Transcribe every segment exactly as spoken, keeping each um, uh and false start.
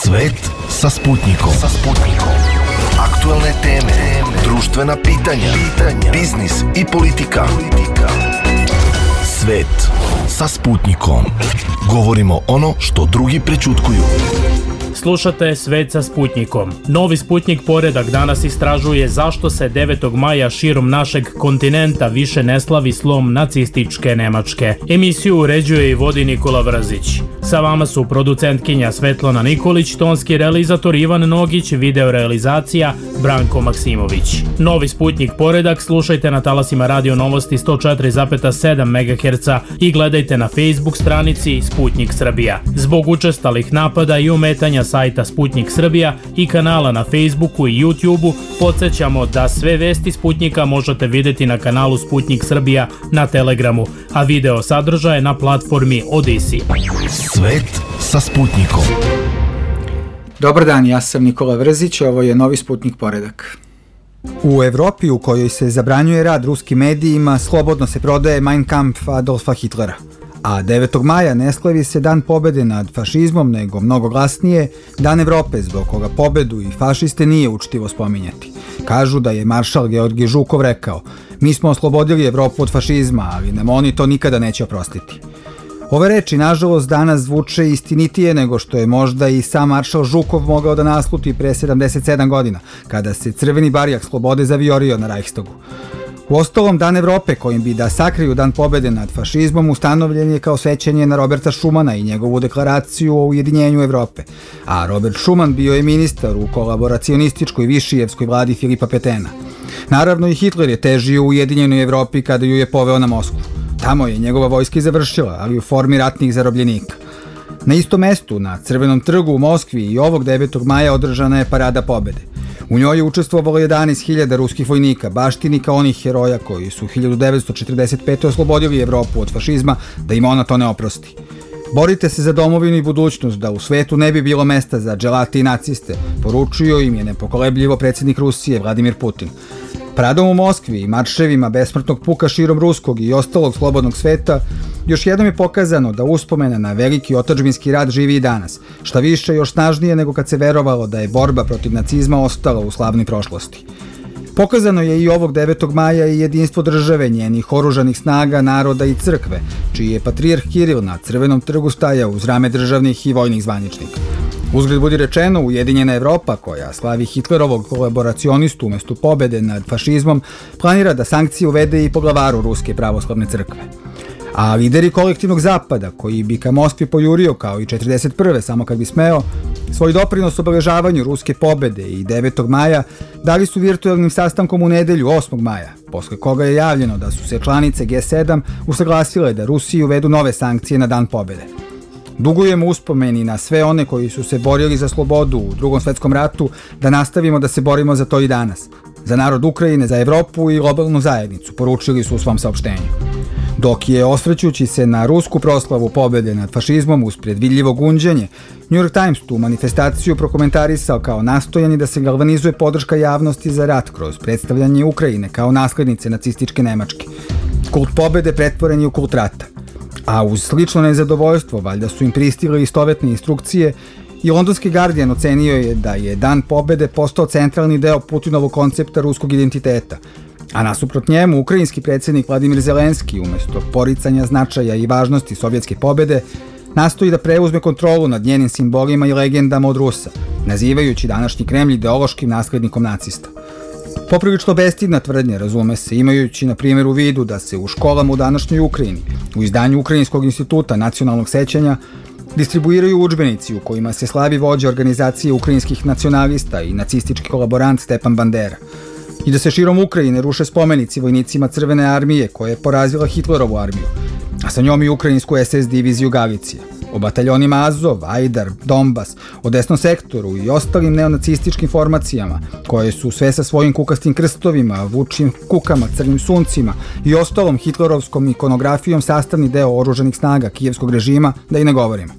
Svet sa Sputnikom. Sa Sputnikom. Aktuelne teme, društvena pitanja, pitanja, biznis i politika. politika. Svet sa Sputnikom. Govorimo ono što drugi prećutkuju. Slušate Svet sa Sputnikom. Novi Sputnik poredak danas istražuje zašto se devetog maja širom našeg kontinenta više ne slavi slom nacističke Nemačke. Emisiju uređuje i vodi Nikola Vrzić. Sa vama su producentkinja Svetlana Nikolić, tonski realizator Ivan Nogić, video realizacija Branko Maksimović. Novi Sputnik poredak slušajte na talasima Radio Novosti sto četiri zarez sedam megaherca i gledajte na Facebook stranici Sputnik Srbija. Zbog učestalih napada i umetanja sajta Sputnik Srbija i kanala na Facebooku i YouTubeu podsjećamo da sve vesti Sputnika možete vidjeti na kanalu Sputnik Srbija na Telegramu, a video sadržaje na platformi Odisi. Svet sa Sputnikom. Dobar dan, ja sam Nikola Vrzić, ovo je Novi Sputnik poredak. U Evropi u kojoj se zabranjuje rad ruskim medijima, slobodno se prodaje Mein Kampf Adolfa Hitlera. A devetog maja ne slavi se dan pobede nad fašizmom, nego mnogo glasnije Dan Evrope, zbog koga pobedu i fašiste nije učtivo spominjati. Kažu da je maršal Georgij Žukov rekao: mi smo oslobodili Evropu od fašizma, ali nam oni to nikada neće oprostiti. Ove reči, nažalost, danas zvuče istinitije nego što je možda i sam maršal Žukov mogao da nasluti pre sedamdeset sedam godina, kada se crveni barjak slobode zaviorio na Reichstagu. Uostalom, Dan Evrope, kojim bi da sakriju Dan pobede nad fašizmom, ustanovljen je kao sećanje na Roberta Šumana i njegovu deklaraciju o ujedinjenju Evrope. A Robert Schuman bio je ministar u kolaboracionističkoj višijevskoj vladi Filipa Petena. Naravno, i Hitler je težio u ujedinjenoj Evropi kada ju je poveo na Moskvu. Tamo je njegova vojska i završila, ali u formi ratnih zarobljenika. Na istom mestu, na Crvenom trgu u Moskvi, i ovog devetog maja održana je Parada pobede. U njoj je učestvovalo jedanaest hiljada ruskih vojnika, baštinika onih heroja koji su hiljadu devetsto četrdeset pete oslobodili Evropu od fašizma, da im ona to ne oprosti. Borite se za domovinu i budućnost, da u svetu ne bi bilo mesta za dželate i naciste, poručio im je nepokolebljivo predsjednik Rusije Vladimir Putin. Paradom u Moskvi i marševima besmrtnog puka širom ruskog i ostalog slobodnog sveta još jednom je pokazano da uspomena na veliki otadžbinski rat živi i danas, šta više još snažnije nego kad se verovalo da je borba protiv nacizma ostala u slavnoj prošlosti. Pokazano je i ovog devetog maja i jedinstvo države, njenih oružanih snaga, naroda i crkve, čiji je patrijarh Kiril na Crvenom trgu stajao uz rame državnih i vojnih zvaničnika. Uzgled budi rečeno, Ujedinjena Evropa, koja slavi Hitlerovog kolaboracionistu umesto pobede nad fašizmom, planira da sankcije uvede i poglavaru Ruske pravoslavne crkve. A lideri kolektivnog zapada, koji bi ka Moskvi pojurio kao i četrdeset prve samo kad bi smeo, svoj doprinos obeležavanju ruske pobede i devetog maja dali su virtualnim sastankom u nedelju osmog maja, posle koga je javljeno da su se članice G sedam usaglasile da Rusiji uvedu nove sankcije na dan pobede. Dugujemo uspomeni na sve one koji su se borili za slobodu u Drugom svetskom ratu, da nastavimo da se borimo za to i danas. Za narod Ukrajine, za Evropu i globalnu zajednicu, poručili su u svom saopštenju. Dok je, osvrćući se na rusku proslavu pobede nad fašizmom uz predvidljivo gunđenje, New York Times tu manifestaciju prokomentarisao kao nastojanje da se galvanizuje podrška javnosti za rat kroz predstavljanje Ukrajine kao naslednice nacističke Nemačke. Kult pobede pretvoren je u kult rata. A uz slično nezadovoljstvo, valjda su im pristigle istovetne instrukcije, i londonski Guardian ocenio je da je Dan pobede postao centralni deo Putinovog koncepta ruskog identiteta. A nasuprot njemu, ukrajinski predsjednik Vladimir Zelenski, umesto poricanja značaja i važnosti sovjetske pobede, nastoji da preuzme kontrolu nad njenim simbolima i legendama od Rusa, nazivajući današnji Kremlj ideološkim naslednikom nacista. Poprilično bestidna tvrdnja, razume se, imajući na primjer u vidu da se u školama u današnjoj Ukrajini, u izdanju Ukrajinskog instituta nacionalnog sećanja, distribuiraju udžbenici u kojima se slavi vođa organizacije ukrajinskih nacionalista i nacistički kolaborant Stepan Bandera. I da se širom Ukrajine ruše spomenici vojnicima Crvene armije koja je porazila Hitlerovu armiju, a sa njom i ukrajinsku es es diviziju Galicija. O bataljonima Azov, Ajdar, Donbas, o desnom sektoru i ostalim neonacističkim formacijama, koje su sve sa svojim kukastim krstovima, vučim kukama, crnim suncima i ostalom hitlerovskom ikonografijom sastavni deo oružanih snaga kijevskog režima, da i ne govorimo.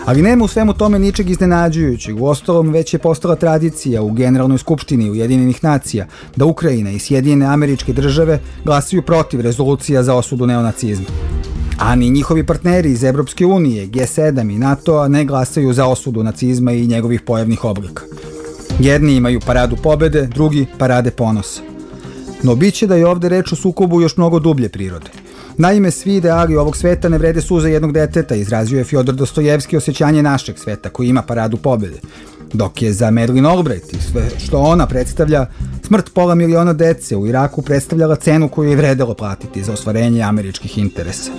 Ali nema u svemu tome ničeg iznenađujućeg, uostalom već je postala tradicija u Generalnoj skupštini Ujedinjenih nacija da Ukrajina i Sjedinjene Američke Države glasaju protiv rezolucija za osudu neonacizma. a ni njihovi partneri iz Evropske unije, G sedam i NATO-a ne glasaju za osudu nacizma i njegovih pojavnih oblika. Jedni imaju paradu pobede, drugi parade ponosa. No bit će da je ovde reč o sukobu još mnogo dublje prirode. Naime, svi ideali ovog sveta ne vrede suza jednog deteta, izrazio je Fjodor Dostojevski osjećanje našeg sveta koji ima paradu pobede, dok je za Madeleine Albright i sve što ona predstavlja, smrt pola miliona dece u Iraku predstavljala cenu koju je vredelo platiti za ostvarenje američkih interesa.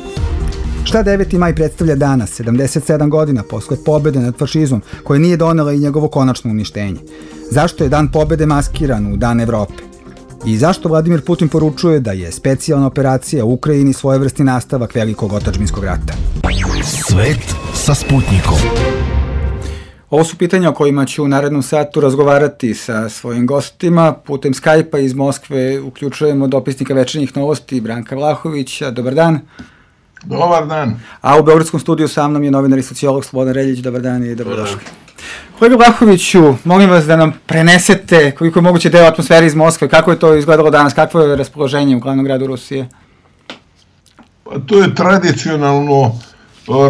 Šta deveti maj predstavlja danas, sedamdeset sedam godina posle pobede nad fašizmom, koje nije donela i njegovo konačno uništenje? Zašto je dan pobede maskiran u Dan Evrope? I zašto Vladimir Putin poručuje da je specijalna operacija u Ukrajini svojevrsni nastavak velikog otadžbinskog rata? Svet sa Sputnikom. Ovo su pitanja o kojima ću u narednom satu razgovarati sa svojim gostima. Putem Skype-a iz Moskve uključujemo dopisnika Večernjih novosti Branka Vlahovića. Dobar dan. Dobar dan. A u Beogradskom studiju sa mnom je novinar i sociolog Slobodan Reljić. Dobar dan i dobrodošli. Kolega Vlahoviću, molim vas da nam prenesete koliko je moguće deo atmosfere iz Moskve. Kako je to izgledalo danas? Kakvo je raspoloženje u glavnom gradu Rusije? Pa to je tradicionalno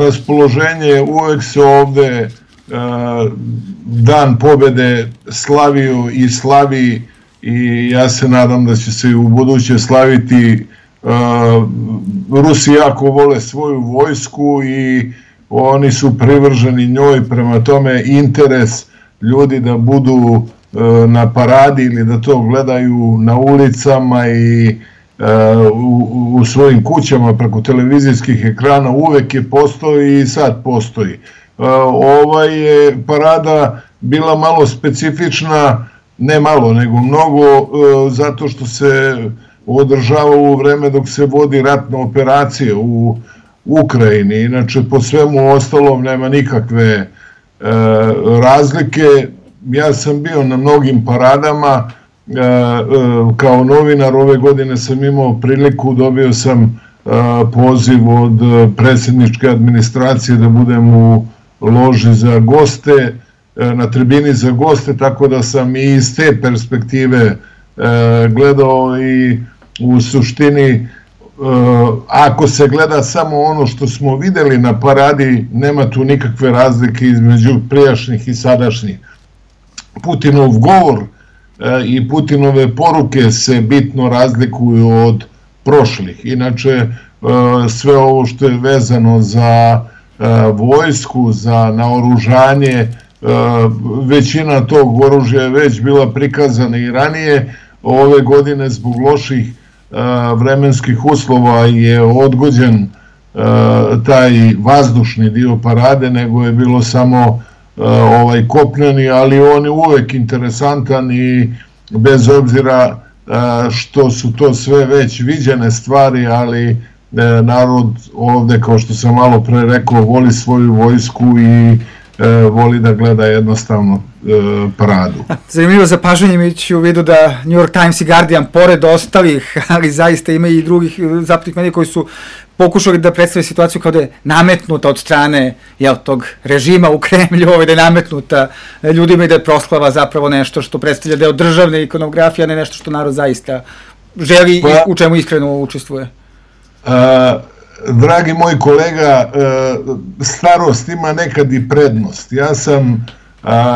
raspoloženje. Uvek se ovde Dan pobede slavio i slavi i ja se nadam da će se i u buduće slaviti. Rusi jako vole svoju vojsku i oni su privrženi njoj, prema tome interes ljudi da budu na paradi ili da to gledaju na ulicama i u, u svojim kućama preko televizijskih ekrana uvek je postoji i sad postoji. Ova je parada bila malo specifična, ne malo nego mnogo, zato što se održava u vreme dok se vodi ratna operacija u Ukrajini. Inače, po svemu ostalom nema nikakve e, razlike. Ja sam bio na mnogim paradama, e, e, kao novinar ove godine sam imao priliku, dobio sam e, poziv od predsjedničke administracije da budem u loži za goste, e, na tribini za goste, tako da sam i iz te perspektive e, gledao i u suštini ako se gleda samo ono što smo videli na paradi, nema tu nikakve razlike između prijašnjih i sadašnjih. Putinov govor i Putinove poruke se bitno razlikuju od prošlih. Inače, sve ovo što je vezano za vojsku, za naoružanje, većina tog oružja je već bila prikazana i ranije. Ove godine zbog loših vremenskih uslova je odgođen taj vazdušni dio parade, nego je bilo samo ovaj kopneni, ali on je uvek interesantan i bez obzira što su to sve već viđene stvari, ali narod ovde, kao što sam malo pre rekao, voli svoju vojsku i voli da gleda jednostavno paradu. Zanimljivo zapažanje, imajući u vidu da New York Times i Guardian, pored ostalih, ali zaista ima i drugih zapadnih medija koji su pokušali da predstave situaciju kao da je nametnuta od strane jel, tog režima u Kremlju, da je nametnuta ljudima i da je proslava zapravo nešto što predstavlja deo državne ikonografije, a ne nešto što narod zaista želi pa, i u čemu iskreno učestvuje. A, dragi moj kolega, starost ima nekad i prednost. Ja sam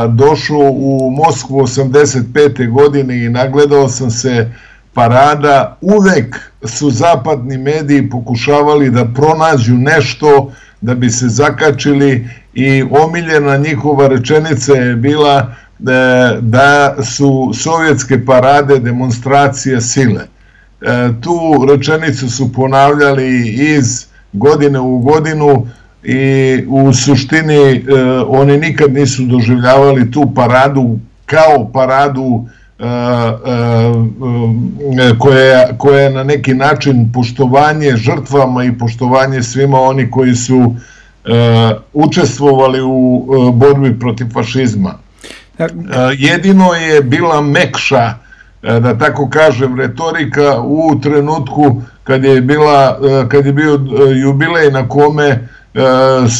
došao u Moskvu osamdeset pete godine i nagledao sam se parada. Uvek su zapadni mediji pokušavali da pronađu nešto da bi se zakačili i omiljena njihova rečenica je bila da su sovjetske parade demonstracija sile. Tu rečenicu su ponavljali iz godine u godinu i u suštini oni nikad nisu doživljavali tu paradu kao paradu koja je na neki način poštovanje žrtvama i poštovanje svima oni koji su učestvovali u borbi protiv fašizma. Jedino je bila mekša, da tako kažem, retorika u trenutku kad je, bila, kad je bio jubilej na kome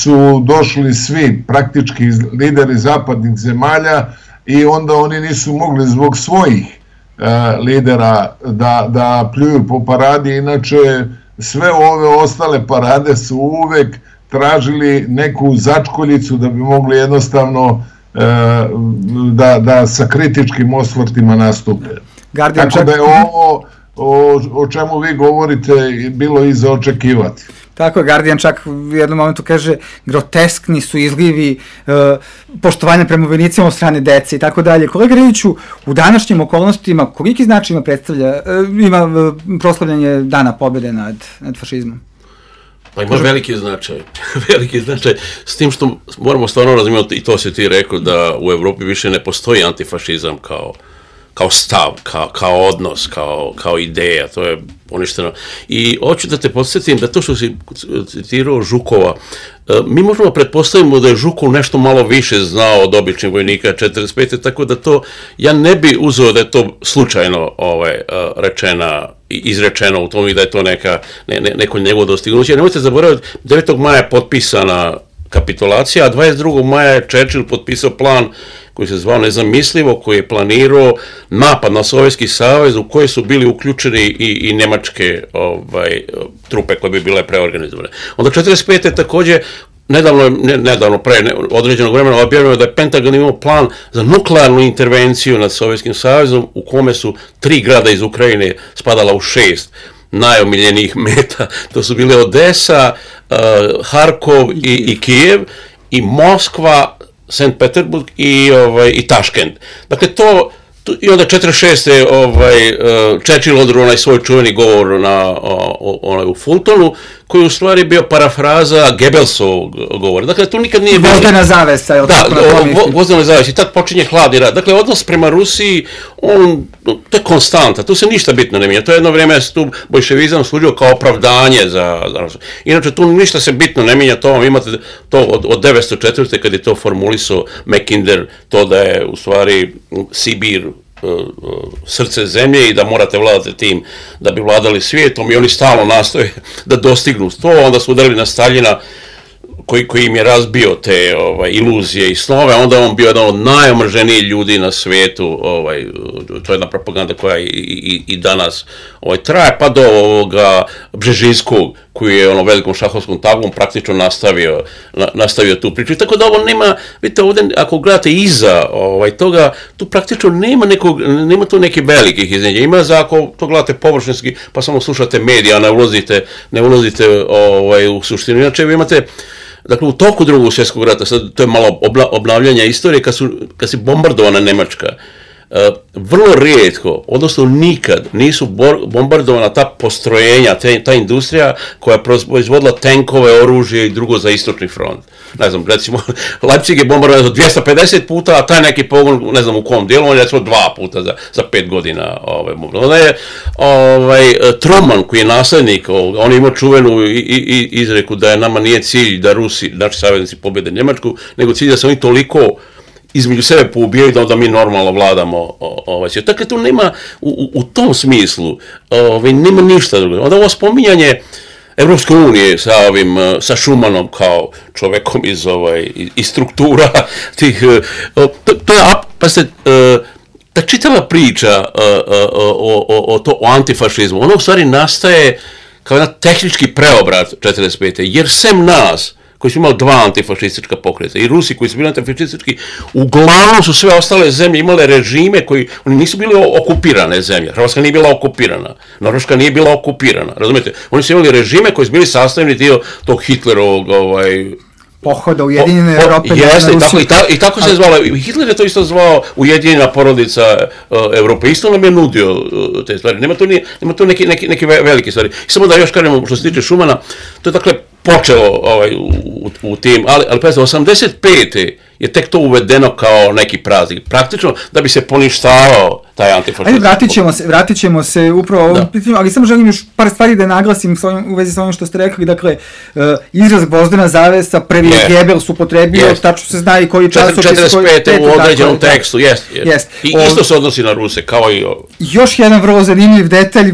su došli svi praktički lideri zapadnih zemalja i onda oni nisu mogli zbog svojih lidera da, da pljuju po paradi, inače sve ove ostale parade su uvek tražili neku začkoljicu da bi mogli jednostavno da, da sa kritičkim osvrtima nastupe. Guardian Tako čak... da je ovo o, o čemu vi govorite bilo i za očekivati. Tako je, Guardian čak u jednom momentu kaže groteskni su izlivi e, poštovanja prema vojnicima od strane dece i tako dalje. Kolega Riviću, u današnjim okolnostima koliki značaj ima predstavlja, e, ima e, proslavljanje Dana pobjede nad, nad fašizmom? Pa ima veliki značaj, veliki značaj, s tim što moramo stvarno razumjeti, i to si ti rekao, da u Evropi više ne postoji antifašizam kao, kao stav, kao, kao odnos, kao, kao ideja, to je poništeno. I hoću da te podsjetim da to što si citirao Žukova, mi možemo pretpostavimo da je Žukov nešto malo više znao od običnih vojnika četrdeset pete. Tako da to, ja ne bi uzeo da je to slučajno ovaj, rečena, izrečeno u tom i da je to neka, ne, ne, neko njegovo dostignuće. Nemojte zaboraviti, devetog maja je potpisana kapitulacija, a dvadeset drugog maja je Churchill potpisao plan koji se zvao Nezamislivo, koji je planirao napad na Sovjetski savez u koji su bili uključeni i, i nemačke ovaj, trupe koje bi bile preorganizovane. Onda četrdeset pete također, nedavno, ne, nedavno pre ne, određenog vremena objavljeno da je Pentagon imao plan za nuklearnu intervenciju nad Sovjetskim savezom u kome su tri grada iz Ukrajine spadala u šest najomiljenijih meta. To su bile Odesa, uh, Harkov i, i Kijev i Moskva, Sankt Peterburg i, ovaj, i Taškent. Dakle, to, to i onda četrdeset šeste ovaj, uh, Churchill održao onaj svoj čuveni govor na, o, onaj, u Fultonu, koji u stvari bio parafraza Goebbelsovog govora. Dakle, tu nikad nije bilo... Vozdena zavesa, je li tako na tom misli? Da, vozdena zavesa. I tad počinje hladni rat. Dakle, odnos prema Rusiji, on, to je konstanta, tu se ništa bitno ne mijenja. To je jedno vrijeme se tu bolševizam služio kao opravdanje za, za Rusiju. Inače, tu ništa se bitno ne mijenja, to vam imate to od, od devetsto četvrte. kad je to formulisao Mackinder, to da je u stvari Sibir srce zemlje i da morate vladati tim da bi vladali svijetom, i oni stalno nastoje da dostignu to. Onda su udarili na Staljina koji, koji im je razbio te ovaj, iluzije i snove, onda on bio jedan od najomrženijih ljudi na svijetu. Ovaj, to je jedna propaganda koja i, i, i danas ovaj, traje, pa do ovoga Bžežinskog, koji je ono velikom šahovskom tablom praktično nastavio, na, nastavio tu priču. I tako da ovo nema, vidite ovdje, ako gledate iza ovaj, toga, tu praktično nema, nekog, nema tu nekih velikih iznenađenja. Ima za, ako to gledate površinski, pa samo slušate medija, ne ulazite, ne ulazite ovaj, u suštinu. Inače, vi imate, dakle, u toku drugog svjetskog rata, sad to je malo obla, obnavljanja istorije, kad, su, kad se bombardovana Nemačka, Uh, vrlo rijetko, odnosno nikad nisu bombardovana ta postrojenja, te, ta industrija koja je proizvodila tenkove, oružje i drugo za istočni front. Ne znam, recimo, Leipzig je bombardovan dvjesto pedeset puta, a taj neki pogon, ne znam u kom dijelu, on je recimo dva puta za, za pet godina. Ovaj, onda je ovaj, Truman, koji je naslednik, on je imao čuvenu i, i, izreku da je nama nije cilj da Rusi, naši saveznici, pobjede Njemačku, nego cilj da se oni toliko između sebe poubijaju da onda mi normalno vladamo ovaj svijet. Dakle, tu nema, u, u tom smislu, ovaj, nema ništa drugo. Onda ovo spominjanje Evropske unije sa ovim, sa Šumanom kao čovekom iz, ovaj, iz struktura tih, to, to je, pa se, ta čitava priča o, o, o, to, o antifašizmu, ono u stvari nastaje kao jedan tehnički preobrat četrdeset pete. Jer sem nas, koji su imali dva antifašistička pokreta, i Rusi koji su bili antifašistički, uglavnom su sve ostale zemlje imale režime koji, oni nisu bili okupirane zemlje. Hrvatska nije bila okupirana, Norveška nije bila okupirana, razumijete? Oni su imali režime koji su bili sastavni dio tog Hitlerovog, ovaj, pohoda Ujedinjene po, Europe. Jeste, i tako, i, ta, i tako se zvalo. Hitler je to isto zvao Ujedinjena porodica uh, Europe. Isto nam je nudio uh, te stvari. Nema to, nije, nema to neke, neke, neke velike stvari. I samo da još kažemo što se tiče Šumana, to je dakle počelo ovaj, u, u, u tim, ali, ali pazite, osamdeset pete je tek to uvedeno kao neki praznik. Praktično da bi se poništavao taj antifašizam. Ajde, vratit ćemo se, vratit ćemo se upravo ovom pitanju, ali samo želim još par stvari da naglasim s ovim, u vezi sa ovim što ste rekli. Dakle, uh, izraz gvozdena zavesa, prvi je yeah. Goebbels upotrebio, yes. Tačno se zna i koji časopis. četrdeset pete u određenom dakle, tekstu, jest. Jest. Jest. I o, isto se odnosi na Ruse, kao i ovo. Još jedan vrlo zanimljiv detalj,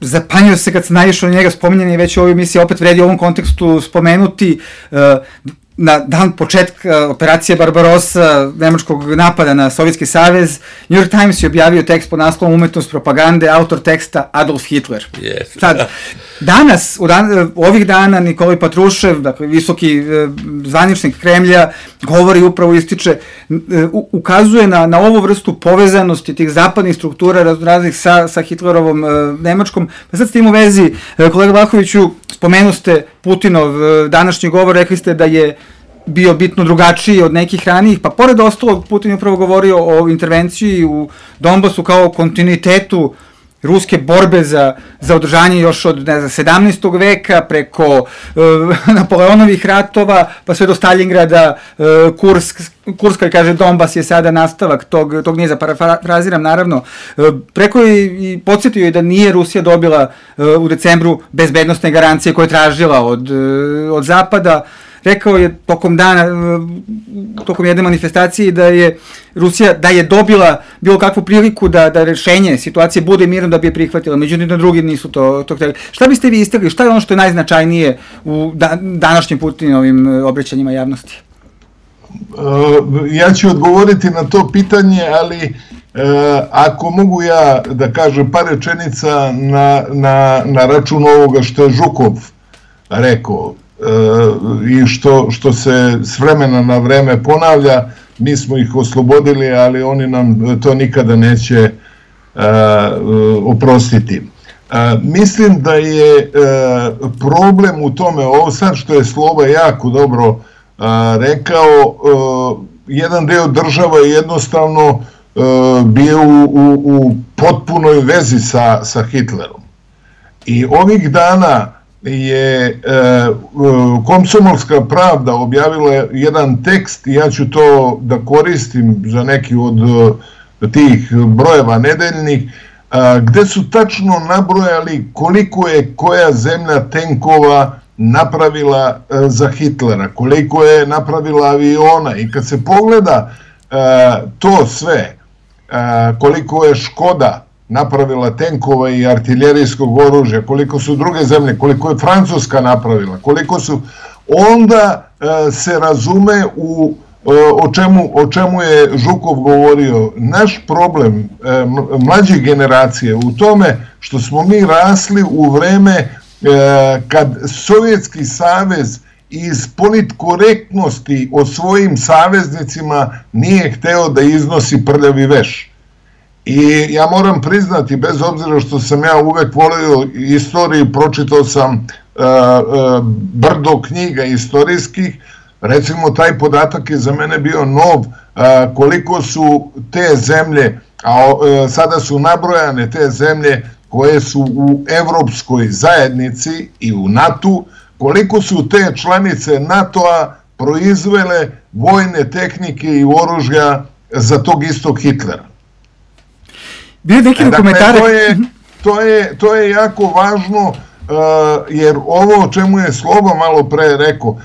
zapanjio se kad se naišao na njega, spominjan je već u ovoj emisiji, opet vredi u ovom kontekstu spomenuti, uh, na dan početka operacije Barbarossa, nemačkog napada na Sovjetski savez, New York Times je objavio tekst pod naslovom Umetnost propagande, autor teksta Adolf Hitler. Yes. Sad, Danas, u dan, ovih dana, Nikolaj Patrušev, dakle, visoki zvaničnik Kremlja, govori, upravo ističe, ukazuje na, na ovu vrstu povezanosti tih zapadnih struktura raznih sa, sa Hitlerovom Nemačkom. Pa sad s tim u vezi, kolega Vlahoviću, spomenu ste Putinov današnji govor, rekli ste da je bio bitno drugačiji od nekih ranijih, pa pored ostalog Putin je upravo govorio o intervenciji u Donbasu kao kontinuitetu ruske borbe za, za održanje još od, ne znam, sedamnaestog veka, preko uh, Napoleonovih ratova, pa sve do Stalingrada, uh, Kursk, Kurska, kaže, Donbas je sada nastavak tog, tog niza, parafraziram naravno. Uh, preko je i podsjetio je da nije Rusija dobila uh, u decembru bezbednostne garancije koje je tražila od, uh, od Zapada. Rekao je tokom dana, tokom jedne manifestacije da je Rusija, da je dobila bilo kakvu priliku da, da rešenje situacije bude mirno da bi je prihvatila, međutim da drugi nisu to, to htjeli. Šta biste vi istakli, šta je ono što je najznačajnije u da, današnjim Putinovim obraćanjima javnosti? Ja ću odgovoriti na to pitanje, ali ako mogu ja da kažem par rečenica na, na, na račun ovoga što je Žukov rekao, i što, što se s vremena na vreme ponavlja, mi smo ih oslobodili, ali oni nam to nikada neće uh, oprostiti. Uh, mislim da je uh, problem u tome, ovo sad što je Sloba jako dobro uh, rekao, uh, jedan deo država je jednostavno uh, bio u, u, u potpunoj vezi sa, sa Hitlerom. I ovih dana je e, Komsomolska pravda objavila jedan tekst i ja ću to da koristim za neki od tih brojeva nedeljnih, a, gde su tačno nabrojali koliko je koja zemlja tenkova napravila a, za Hitlera, koliko je napravila aviona, i kad se pogleda a, to sve, a, koliko je Škoda napravila tenkova i artiljerijskog oružja, koliko su druge zemlje, koliko je Francuska napravila, koliko su, onda e, se razume u, e, o, čemu, o čemu je Žukov govorio. Naš problem e, mlađe generacije u tome što smo mi rasli u vreme e, kad Sovjetski savez iz politkorektnosti o svojim saveznicima nije hteo da iznosi prljavi veš. I ja moram priznati, bez obzira što sam ja uvek volio istoriju, pročitao sam uh, uh, brdo knjiga istorijskih, recimo taj podatak je za mene bio nov, uh, koliko su te zemlje, a uh, sada su nabrojane te zemlje koje su u Evropskoj zajednici i u NATO, koliko su te članice NATO-a proizvele vojne tehnike i oružja za tog istog Hitlera. Bio neki dakle, komentare. To je, to, je, to je jako važno, uh, jer ovo o čemu je Sloba malo pre rekao, uh, uh,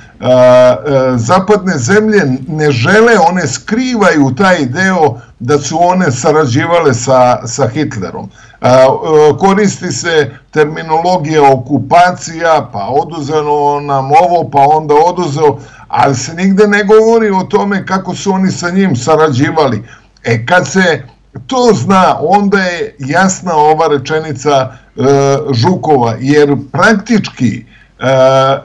zapadne zemlje ne žele, one skrivaju taj deo da su one sarađivale sa, sa Hitlerom. Uh, uh, koristi se terminologija okupacija, pa oduzeno nam ovo, pa onda oduzeo, ali se nigde ne govori o tome kako su oni sa njim sarađivali. E kad se to zna, onda je jasna ova rečenica e, Žukova, jer praktički e, e,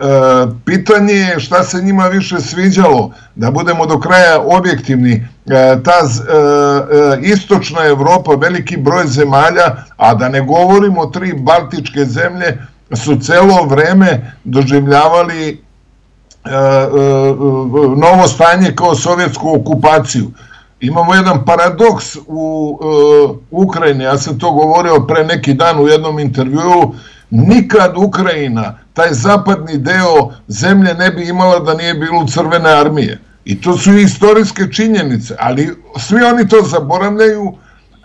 pitanje je šta se njima više sviđalo, da budemo do kraja objektivni, e, ta e, e, istočna Evropa, veliki broj zemalja, a da ne govorimo tri baltičke zemlje, su celo vreme doživljavali e, e, novo stanje kao sovjetsku okupaciju. Imamo jedan paradoks u e, Ukrajini, ja sam to govorio pre neki dan u jednom intervjuu, nikad Ukrajina, taj zapadni deo zemlje ne bi imala da nije bilo Crvene armije. I to su istorijske činjenice, ali svi oni to zaboravljaju,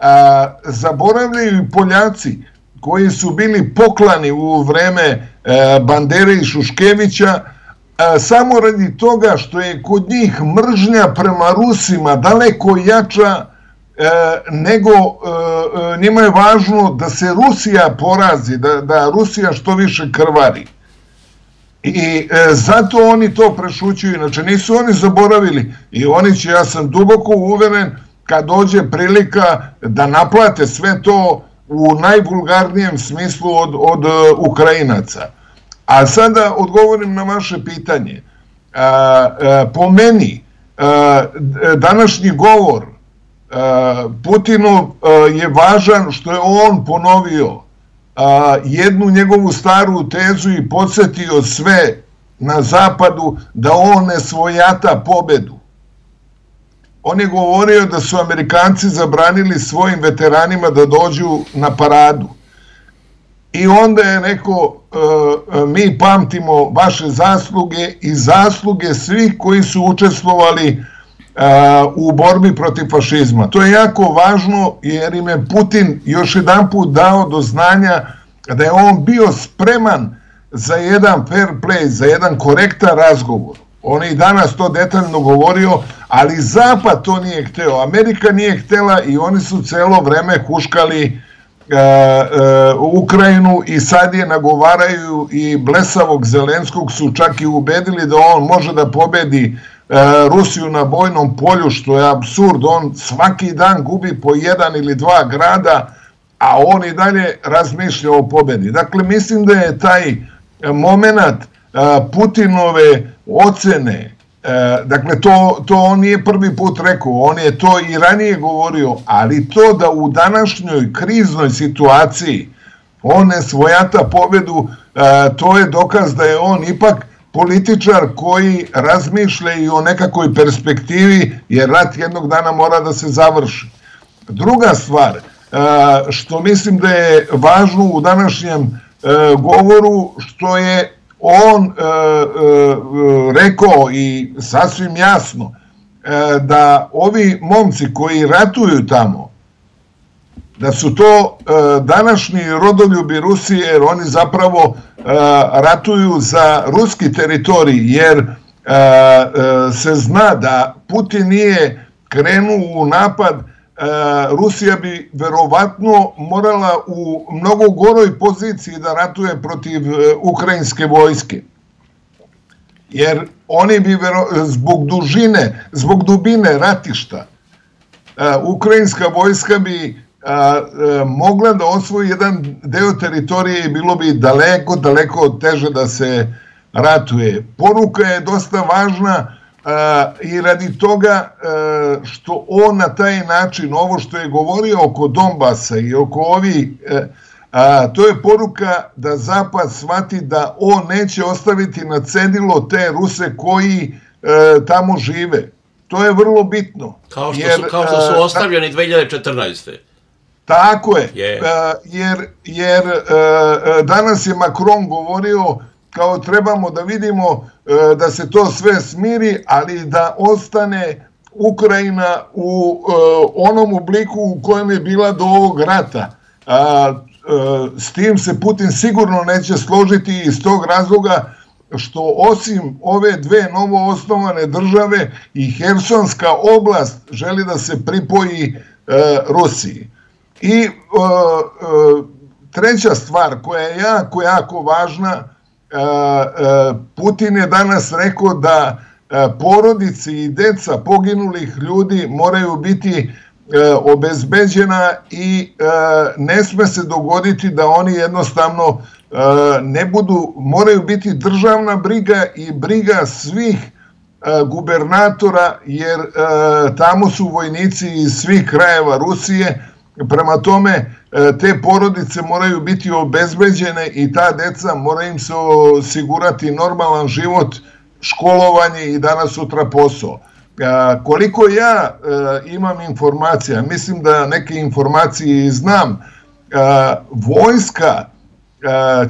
a, zaboravljaju i Poljaci koji su bili poklani u vreme e, Bandere i Šuškevića, samo radi toga što je kod njih mržnja prema Rusima daleko jača e, nego e, njima je važno da se Rusija porazi, da, da Rusija što više krvari. I e, zato oni to prešućuju, inače nisu oni zaboravili i oni će, ja sam duboko uveren, kad dođe prilika da naplate sve to, u najvulgarnijem smislu od, od Ukrajinaca. A sada odgovorim na vaše pitanje. Po meni, današnji govor Putinov je važan što je on ponovio jednu njegovu staru tezu i podsjetio sve na zapadu da on ne svojata pobedu. On je govorio da su Amerikanci zabranili svojim veteranima da dođu na paradu. I onda je rekao, mi pamtimo vaše zasluge i zasluge svih koji su učestvovali u borbi protiv fašizma. To je jako važno jer im je Putin još jedan put dao do znanja da je on bio spreman za jedan fair play, za jedan korektan razgovor. On je i danas to detaljno govorio, ali Zapad to nije hteo. Amerika nije htela i oni su celo vreme huškali uh, uh, Ukrajinu i sad je nagovaraju i blesavog Zelenskog su čak i ubedili da on može da pobedi uh, Rusiju na bojnom polju, što je apsurd. On svaki dan gubi po jedan ili dva grada, a on i dalje razmišlja o pobedi. Dakle, mislim da je taj moment uh, Putinove ocene, dakle to, to on nije prvi put rekao, on je to i ranije govorio, ali to da u današnjoj kriznoj situaciji on ne svojata pobedu, to je dokaz da je on ipak političar koji razmišlja i o nekakvoj perspektivi, jer rat jednog dana mora da se završi. Druga stvar, što mislim da je važno u današnjem govoru, što je on e, e, rekao i sasvim jasno e, da ovi momci koji ratuju tamo, da su to e, današnji rodoljubi Rusije, jer oni zapravo e, ratuju za ruski teritorij, jer e, e, se zna da Putin nije krenuo u napad, Rusija bi verovatno morala u mnogo goroj poziciji da ratuje protiv ukrajinske vojske. Jer oni bi zbog dužine, zbog dubine ratišta, ukrajinska vojska bi mogla da osvoji jedan deo teritorije i bilo bi daleko, daleko teže da se ratuje. Poruka je dosta važna i radi toga što on na taj način, ovo što je govorio oko Donbasa i oko ovih, to je poruka da Zapad shvati da on neće ostaviti na cedilo te Ruse koji tamo žive. To je vrlo bitno. Kao što su, kao što su ostavljeni dve hiljade četrnaeste. Tako je. Yeah. Jer, jer danas je Macron govorio kao trebamo da vidimo e, da se to sve smiri, ali da ostane Ukrajina u e, onom obliku u kojem je bila do ovog rata. A, e, s tim se Putin sigurno neće složiti iz tog razloga što osim ove dve novo osnovane države i Hersonska oblast želi da se pripoji e, Rusiji. I e, e, treća stvar koja je jako, jako važna, Putin je danas rekao da porodice i deca poginulih ljudi moraju biti obezbeđena i ne sme se dogoditi da oni jednostavno ne budu, moraju biti državna briga i briga svih gubernatora, jer tamo su vojnici iz svih krajeva Rusije. Prema tome, te porodice moraju biti obezbeđene i ta deca moraju im se osigurati normalan život, školovanje i danas sutra posao. Koliko ja imam informacija, mislim da neke informacije znam, vojska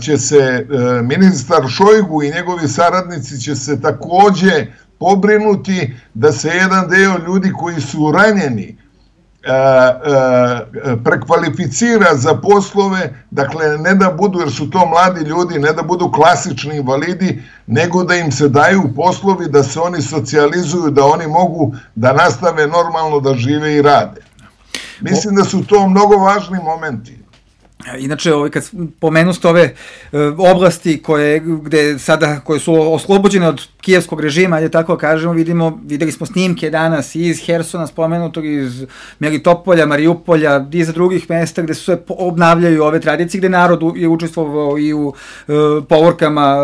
će se, ministar Šojgu i njegovi saradnici će se takođe pobrinuti da se jedan deo ljudi koji su ranjeni prekvalificira za poslove, dakle ne da budu, jer su to mladi ljudi, ne da budu klasični invalidi, nego da im se daju poslovi, da se oni socijalizuju, da oni mogu da nastave normalno da žive i rade. Mislim da su to mnogo važni momenti. Inače, ovaj, kad pomenu ste ove e, oblasti koje, gde sada, koje su oslobođene od kijevskog režima, ajde tako kažemo, vidimo, videli smo snimke danas iz Hersona spomenutog, iz Melitopolja, Mariupolja, iz drugih mesta gde se obnavljaju ove tradicije, gde narod je učestvovao i u e, povorkama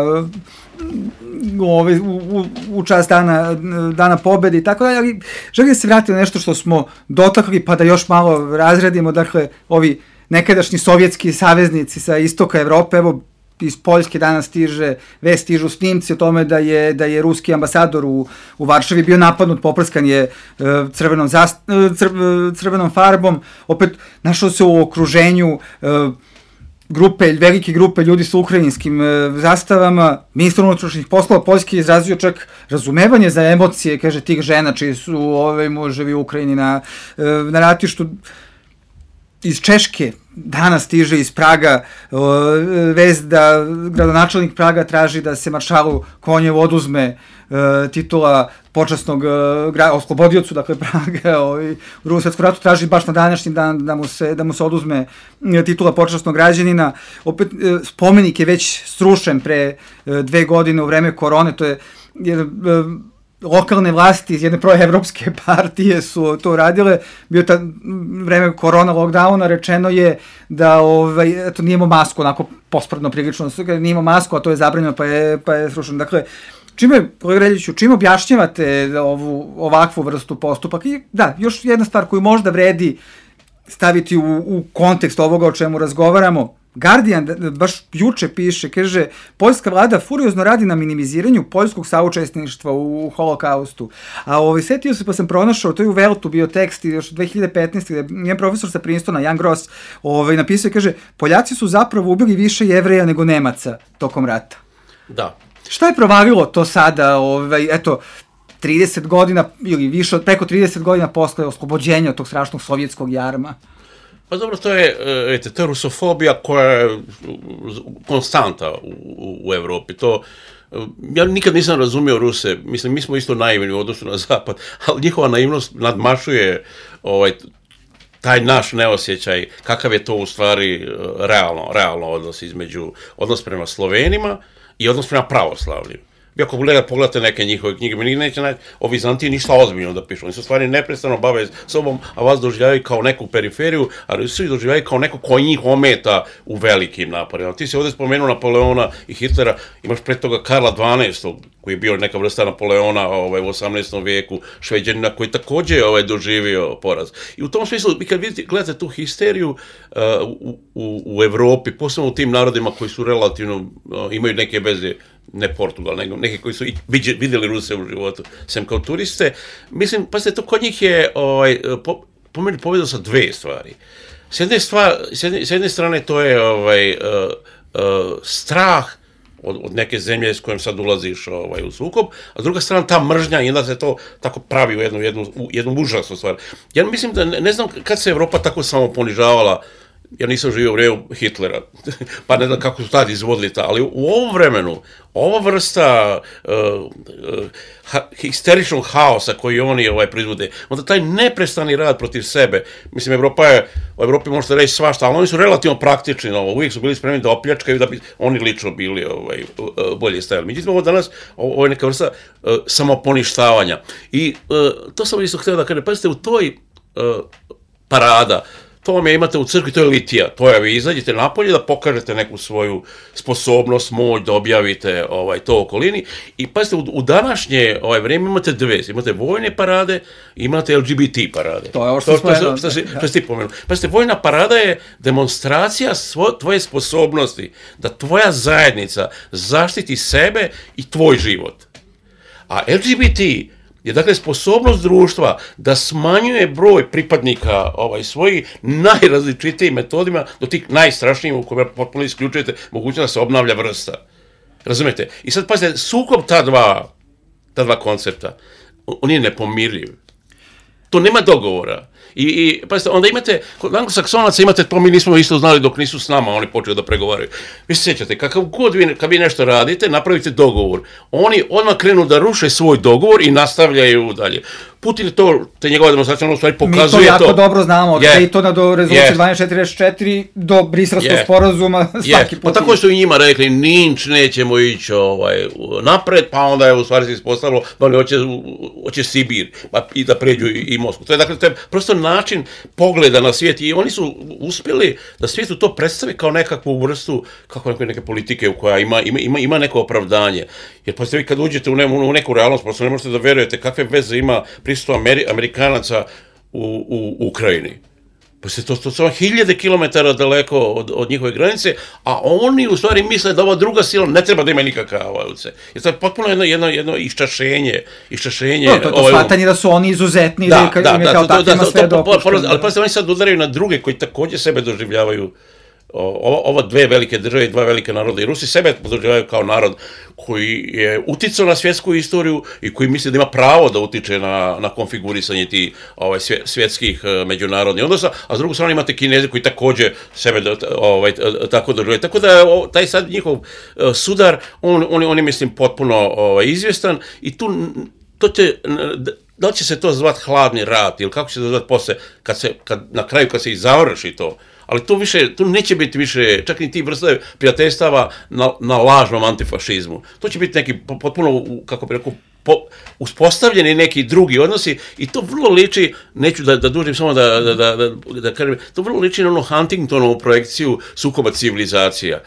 Ove, u, u, u čast dana, dana pobede i tako dalje, ali želim da se vratiti na nešto što smo dotakli, pa da još malo razredimo, dakle, ovi nekadašnji sovjetski saveznici sa istoka Evrope, evo, iz Poljske danas stiže, vest stižu snimci o tome da je, da je ruski ambasador u, u Varšavi bio napadnut, poprskan je uh, crvenom, zast, uh, cr, uh, crvenom farbom, opet našao se u okruženju uh, grupe, velike grupe ljudi sa ukrajinskim e, zastavama. Ministar unutrašnjih poslova Poljske je izrazio čak razumevanje za emocije, kaže, tih žena čiji su ove muževi u Ukrajini na, e, na ratištu. Iz Češke danas stiže iz Praga e, vest da gradonačelnik Praga traži da se maršalu Konjevu oduzme e, titula počasnog e, oslobodiocu, dakle Praga ovaj, u Drugom svetskom ratu traži baš na današnji dan da mu se, da mu se oduzme e, titula počasnog građanina. Opet e, spomenik je već srušen pre e, dve godine u vreme korone, to je jer, e, lokalne vlasti iz jedne proevropske partije su to radile, bio ta vreme korona lockdowna, rečeno je da ovaj, eto, nije imao masku, onako pospredno prilično, nije imao masku, a to je zabranjeno, pa je, pa je srušeno. Dakle, čime, kolega Reljiću, čime objašnjavate ovu, ovakvu vrstu postupaka? I da, još jedna stvar koju možda vredi staviti u, u kontekst ovoga o čemu razgovaramo, Guardian baš juče piše, kaže, poljska vlada furiozno radi na minimiziranju poljskog saučesništva u holokaustu. A ovaj, setio se pa sam pronašao, to je u Veltu bio tekst još dve hiljade petnaeste. gde njen profesor sa Princetona, Jan Gross, ovaj, napisao i kaže, Poljaci su zapravo ubili više Jevreja nego Nemaca tokom rata. Da. Šta je provalilo to sada, ovaj, eto, trideset godina ili više od preko trideset godina posle oslobođenja od tog strašnog sovjetskog jarma? Pa dobro, to je, ete, to je rusofobija koja je konstanta u, u Evropi. To, ja nikad nisam razumio Ruse, mislim, mi smo isto naivni u odnosu na Zapad, ali njihova naivnost nadmašuje ovaj, taj naš neosjećaj, kakav je to u stvari realno, realno odnos između, odnos prema Slovenima i odnos prema pravoslavlju. Vi ako pogledate neke njihove knjige, mi neće naći o Vizantiji ništa ozbiljno da pišu. Oni su stvari neprestano bave sobom, a vas doživljavaju kao neku periferiju, ali svi doživljavaju kao neko ko njih ometa u velikim naporima. Ti si ovdje spomenuo Napoleona i Hitlera, imaš pre toga Karla dvanaestog, koji je bio neka vrsta Napoleona ovaj, u osamnaestom vijeku, Šveđanina, koji također ovaj, doživio poraz. I u tom smislu, vi kad vidite, gledate tu histeriju uh, u, u, u Evropi, posebno u tim narodima koji su relativno, uh, imaju neke veze, ne Portugal, nego neki koji su vidjeli Ruse u životu, sem kao turiste, mislim, pa se to kod njih je, ovaj, po, po meni povedao sa dve stvari. S jedne, stvar, s jedne, s jedne strane to je ovaj, uh, uh, strah od, od neke zemlje s kojom sad ulaziš ovaj, u sukob, a s druga strana ta mržnja i onda se to tako pravi u jednu, jednu, u jednu užasnu stvar. Ja mislim da, ne, ne znam kad se Evropa tako samo ponižavala, ja nisam živio u vremenu Hitlera, pa ne znam kako su tad izvodili ta, ali u ovom vremenu, ova vrsta uh, uh, ha, histeričnog haosa koji oni ovaj, proizvode, onda taj neprestani rad protiv sebe, mislim, Evropa je, u Evropi možete reći svašta, ali oni su relativno praktični na ovo, uvijek su bili spremni da opljačkaju, da bi oni lično bili ovaj, uh, bolje stajali. Međutim, ovo danas, ovo je neka vrsta uh, samoponištavanja. I uh, to sam isto htio da kažem, pazite, u toj uh, parada, to vam je imate u crkvi, to je litija, to je, vi izađete napolje da pokažete neku svoju sposobnost, moć, da objavite ovaj, to okolini i pazite, u, u današnje ovaj, vrijeme imate dve, imate vojne parade, imate L G B T parade. To je ovo što smo jedno. Što si ti pomenuo. Pazite, vojna parada je demonstracija svo, tvoje sposobnosti, da tvoja zajednica zaštiti sebe i tvoj život. A L G B T je dakle sposobnost društva da smanjuje broj pripadnika ovaj, svojih najrazličitijim metodima do tih najstrašnijih u kojima potpuno isključujete mogućnost da se obnavlja vrsta. Razumete? I sad pazite, sukob ta dva, ta dva koncepta, on je nepomirljiv. To nema dogovora. I, i pazite, onda imate, kod Anglosaksonaca imate, to mi nismo isto znali dok nisu s nama, oni počeli da pregovaraju. Vi se sjećate, kakav god vi, kad vi nešto radite, napravite dogovor. Oni odmah krenu da ruše svoj dogovor i nastavljaju dalje. Putin je to, te njegova demonstracija, ono u stvari pokazuje to. Mi to jako to. dobro znamo, od yeah. Daytona do rezolucije yeah. dvanaest četrdeset četiri do Briselskog yeah. sporazuma, svaki yeah. put. Pa tako su i njima rekli, ninč, nećemo ići ovaj, napred, pa onda je u stvari se ispostavilo da oni hoće, hoće Sibir, pa i da pređu i, i Moskvu. To je, dakle, to je prosto način pogleda na svijet i oni su uspjeli da svijetu to predstavi kao nekakvu vrstu, kako neke, neke politike u koja ima, ima, ima, ima neko opravdanje. Jer pa ste vi kad uđete u, ne, u neku realnost, prosto ne možete da verujete kakve veze ima prisustvo Ameri, Amerikanaca u, u, u Ukrajini. Pa se to, to su hiljade kilometara daleko od, od njihove granice, a oni u stvari misle da ova druga sila ne treba da ima nikakav utjecaj. Jer to je potpuno jedno, jedno, jedno iščašenje. iščašenje no, to je to ovaj, shvatanje da su oni izuzetni, da, da, da, da, kao takvima sve dopušteno. Ali pa se oni sad udaraju na druge koji također sebe doživljavaju. Ova, ova dve velike države i dva velike naroda i Rusi sebe doživljavaju kao narod koji je uticao na svjetsku istoriju i koji misli da ima pravo da utiče na, na konfigurisanje tih ovaj, svjetskih međunarodnih odnosa, a s drugu strane imate Kineze koji također sebe ovaj, tako doživljaju. Tako da je taj sad njihov sudar, on, on, on je mislim potpuno ovaj, izvjestan i tu to će, da li će se to zvati hladni rat ili kako će se to zvati posle, kad se, kad, na kraju kad se i završi to. Ali tu više, tu neće biti više, čak ni ti vrste prijateljstava na, na lažnom antifašizmu. To će biti neki potpuno, kako bi rekao, po, uspostavljeni neki drugi odnosi i to vrlo liči, neću da, da dužim samo da, da, da, da, da kažem, to vrlo liči na ono Huntingtonovu projekciju sukoba civilizacija.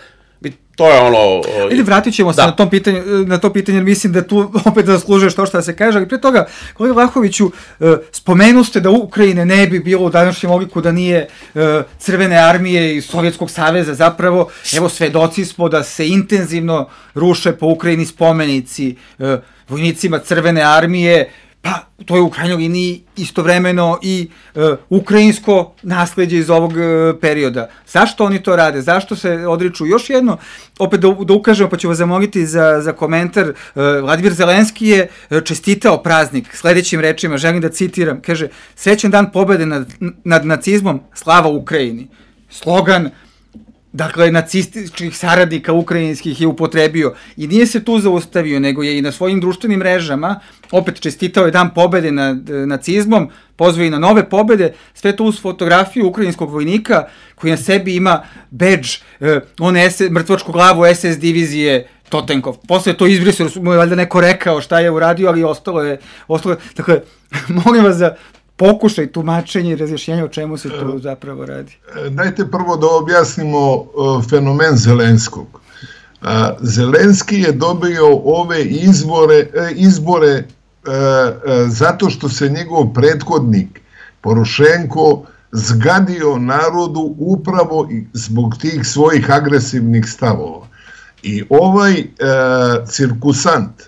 To je ono... Ili vratit ćemo se na, tom pitanju, na to pitanje, jer mislim da tu opet zaslužuješ to što se kaže, ali pre toga, kolega Vlahoviću, spomenu ste da Ukrajine ne bi bilo u današnjem obliku da nije Crvene armije i Sovjetskog saveza, zapravo, evo svedoci smo da se intenzivno ruše po Ukrajini spomenici vojnicima Crvene armije, pa to je u krajnjoj liniji istovremeno i e, ukrajinsko nasledđe iz ovog e, perioda. Zašto oni to rade? Zašto se odriču? Još jedno, opet da, da ukažemo, pa ću vas zamoliti za, za komentar. E, Vladimir Zelenski je čestitao praznik sledećim rečima, želim da citiram, kaže, srećan dan pobede nad, nad nacizmom, slava Ukrajini. Slogan, dakle, nacističkih saradnika ukrajinskih je upotrebio i nije se tu zaustavio, nego je i na svojim društvenim mrežama opet čestitao je dan pobede nad nacizmom, pozvao i na nove pobede, sve to uz fotografiju ukrajinskog vojnika koji na sebi ima bedž, eh, on je mrtvačku glavu es es divizije Totenkov. Posle je to izbrisao, mu je valjda neko rekao šta je uradio, ali ostalo je, ostalo je, dakle, molim vas za pokušaj tumačenja i razjašnjenja o čemu se tu zapravo radi. Dajte prvo da objasnimo fenomen Zelenskog. Zelenski je dobio ove izbore, izbore zato što se njegov prethodnik Porošenko zgadio narodu upravo zbog tih svojih agresivnih stavova. I ovaj cirkusant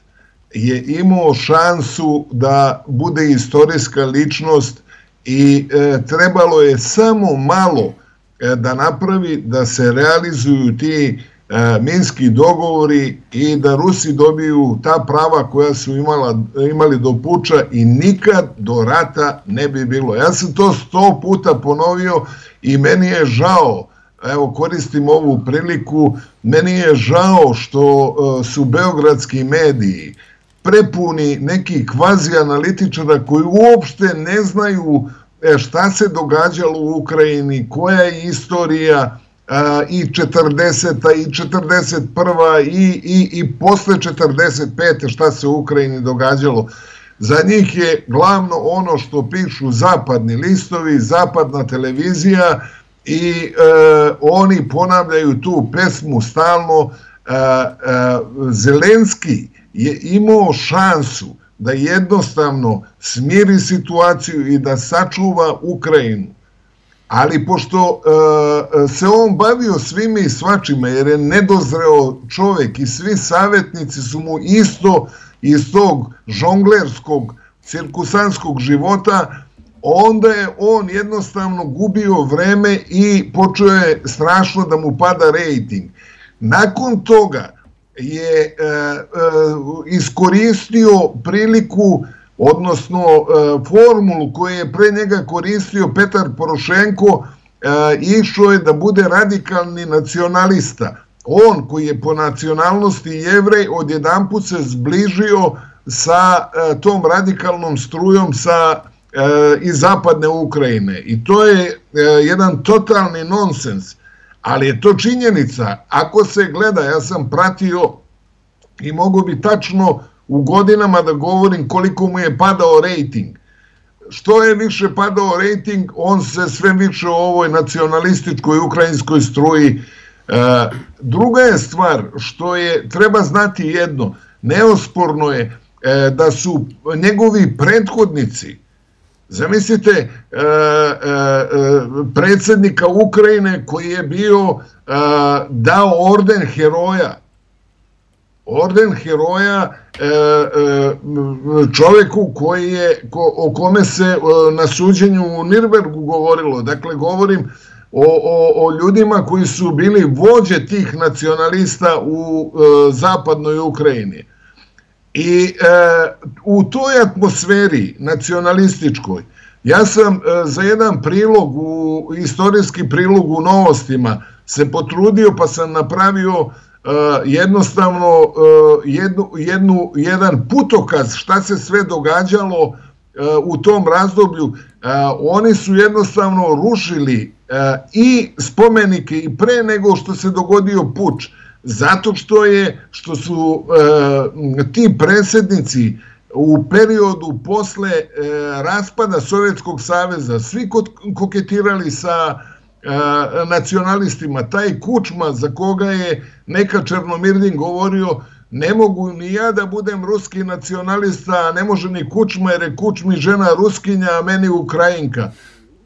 je imao šansu da bude istorijska ličnost i e, trebalo je samo malo e, da napravi da se realizuju ti e, minski dogovori i da Rusi dobiju ta prava koja su imala, imali do puča i nikad do rata ne bi bilo. Ja sam to sto puta ponovio i meni je žao, evo koristim ovu priliku, meni je žao što e, su beogradski mediji prepuni nekih kvazi analitičara koji uopšte ne znaju šta se događalo u Ukrajini, koja je istorija i četrdeseta i četrdeset prva i, i, i posle četrdeset pete šta se u Ukrajini događalo. Za njih je glavno ono što pišu zapadni listovi, zapadna televizija i e, oni ponavljaju tu pesmu stalno. E, e, Zelenski je imao šansu da jednostavno smiri situaciju i da sačuva Ukrajinu. Ali pošto e, se on bavio svime i svačima, jer je nedozreo čovek i svi savjetnici su mu isto iz tog žonglerskog, cirkusanskog života, onda je on jednostavno gubio vreme i počeo je strašno da mu pada rejting. Nakon toga je e, e, iskoristio priliku, odnosno e, formulu koju je pre njega koristio Petar Porošenko, e, išao je da bude radikalni nacionalista. On koji je po nacionalnosti Jevrej odjedanput se zbližio sa tom radikalnom strujom sa iz zapadne Ukrajine. I to je jedan totalni nonsens, ali je to činjenica. Ako se gleda, ja sam pratio i mogu bi tačno u godinama da govorim koliko mu je padao rejting. Što je više padao rejting, on se sve više u ovoj nacionalističkoj ukrajinskoj struji. Druga je stvar, što je, treba znati jedno, neosporno je da su njegovi prethodnici, zamislite e, e, predsjednika Ukrajine koji je bio e, dao orden heroja, orden heroja e, e, čovjeku koji je, ko, o kome se e, na suđenju u Nirnbergu govorilo. Dakle, govorim o, o, o ljudima koji su bili vođe tih nacionalista u e, zapadnoj Ukrajini. I e, u toj atmosferi nacionalističkoj, ja sam e, za jedan prilog, u, istorijski prilog u Novostima, se potrudio pa sam napravio e, jednostavno e, jednu, jednu, jedan putokaz šta se sve događalo e, u tom razdoblju. E, oni su jednostavno rušili e, i spomenike i pre nego što se dogodio puč. Zato što je, što su e, ti predsjednici u periodu posle e, raspada Sovjetskog saveza svi koketirali sa e, nacionalistima. Taj Kučma za koga je neka Černomirdin govorio, ne mogu ni ja da budem ruski nacionalista, ne može ni Kučma jer je Kučmi žena Ruskinja, a meni Ukrajinka.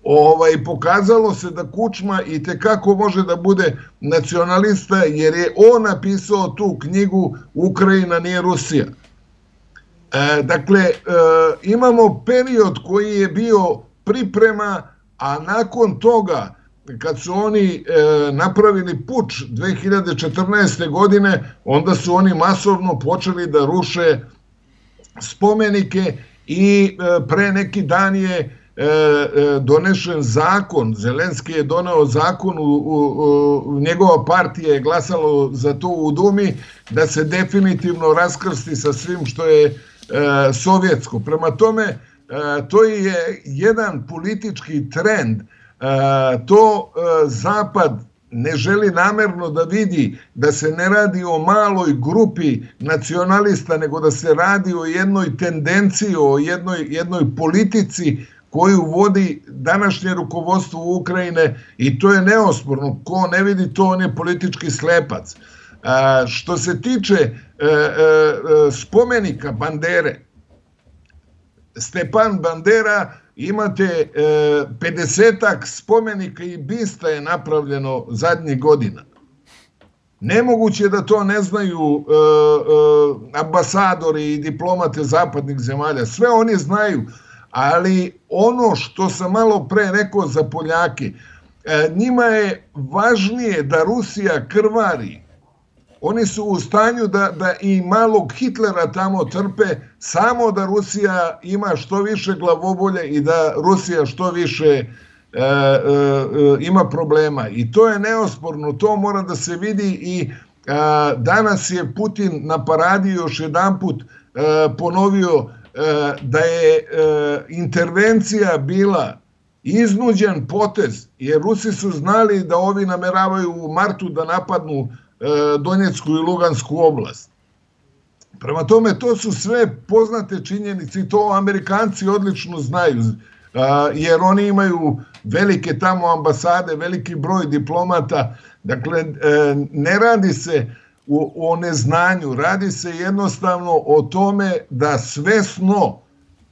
Ovaj, pokazalo se da Kučma i tekako može da bude nacionalista jer je on napisao tu knjigu Ukrajina nije Rusija. E, dakle, e, imamo period koji je bio priprema, a nakon toga kad su oni e, napravili puč dve hiljade četrnaeste. godine, onda su oni masovno počeli da ruše spomenike i e, pre neki dan je donešen zakon, Zelenski je doneo zakon, u, u, u, njegova partija je glasalo za to u Dumi, da se definitivno raskrsti sa svim što je e, sovjetsko. Prema tome, e, to je jedan politički trend. E, to e, Zapad ne želi namerno da vidi da se ne radi o maloj grupi nacionalista, nego da se radi o jednoj tendenciji, o jednoj, jednoj politici koju vodi današnje rukovodstvo Ukrajine i to je neosporno. Ko ne vidi to, on je politički slepac. A, što se tiče e, e, spomenika Bandere, Stepan Bandera, imate e, pedesetak spomenika i bista je napravljeno zadnjih godina. Nemoguće da to ne znaju e, e, ambasadori i diplomate zapadnih zemalja. Sve oni znaju. Ali ono što sam malo pre rekao za Poljake, njima je važnije da Rusija krvari. Oni su u stanju da, da i malog Hitlera tamo trpe, samo da Rusija ima što više glavobolje i da Rusija što više e, e, ima problema. I to je neosporno, to mora da se vidi i a, danas je Putin na paradi još jedanput a, ponovio da je intervencija bila iznuđen potez, jer Rusi su znali da ovi nameravaju u martu da napadnu Donjecku i Lugansku oblast. Prema tome, to su sve poznate činjenice i to Amerikanci odlično znaju, jer oni imaju velike tamo ambasade, veliki broj diplomata. Dakle, ne radi se o neznanju, radi se jednostavno o tome da svesno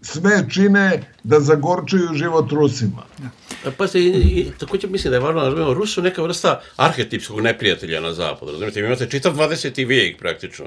sve čine da zagorčuju život Rusima. Pa se, i, također mislim da je važno, razumijemo, Rusi su neka vrsta arhetipskog neprijatelja na zapadu, razumijete, imate čitav dvadeseti vijek praktično.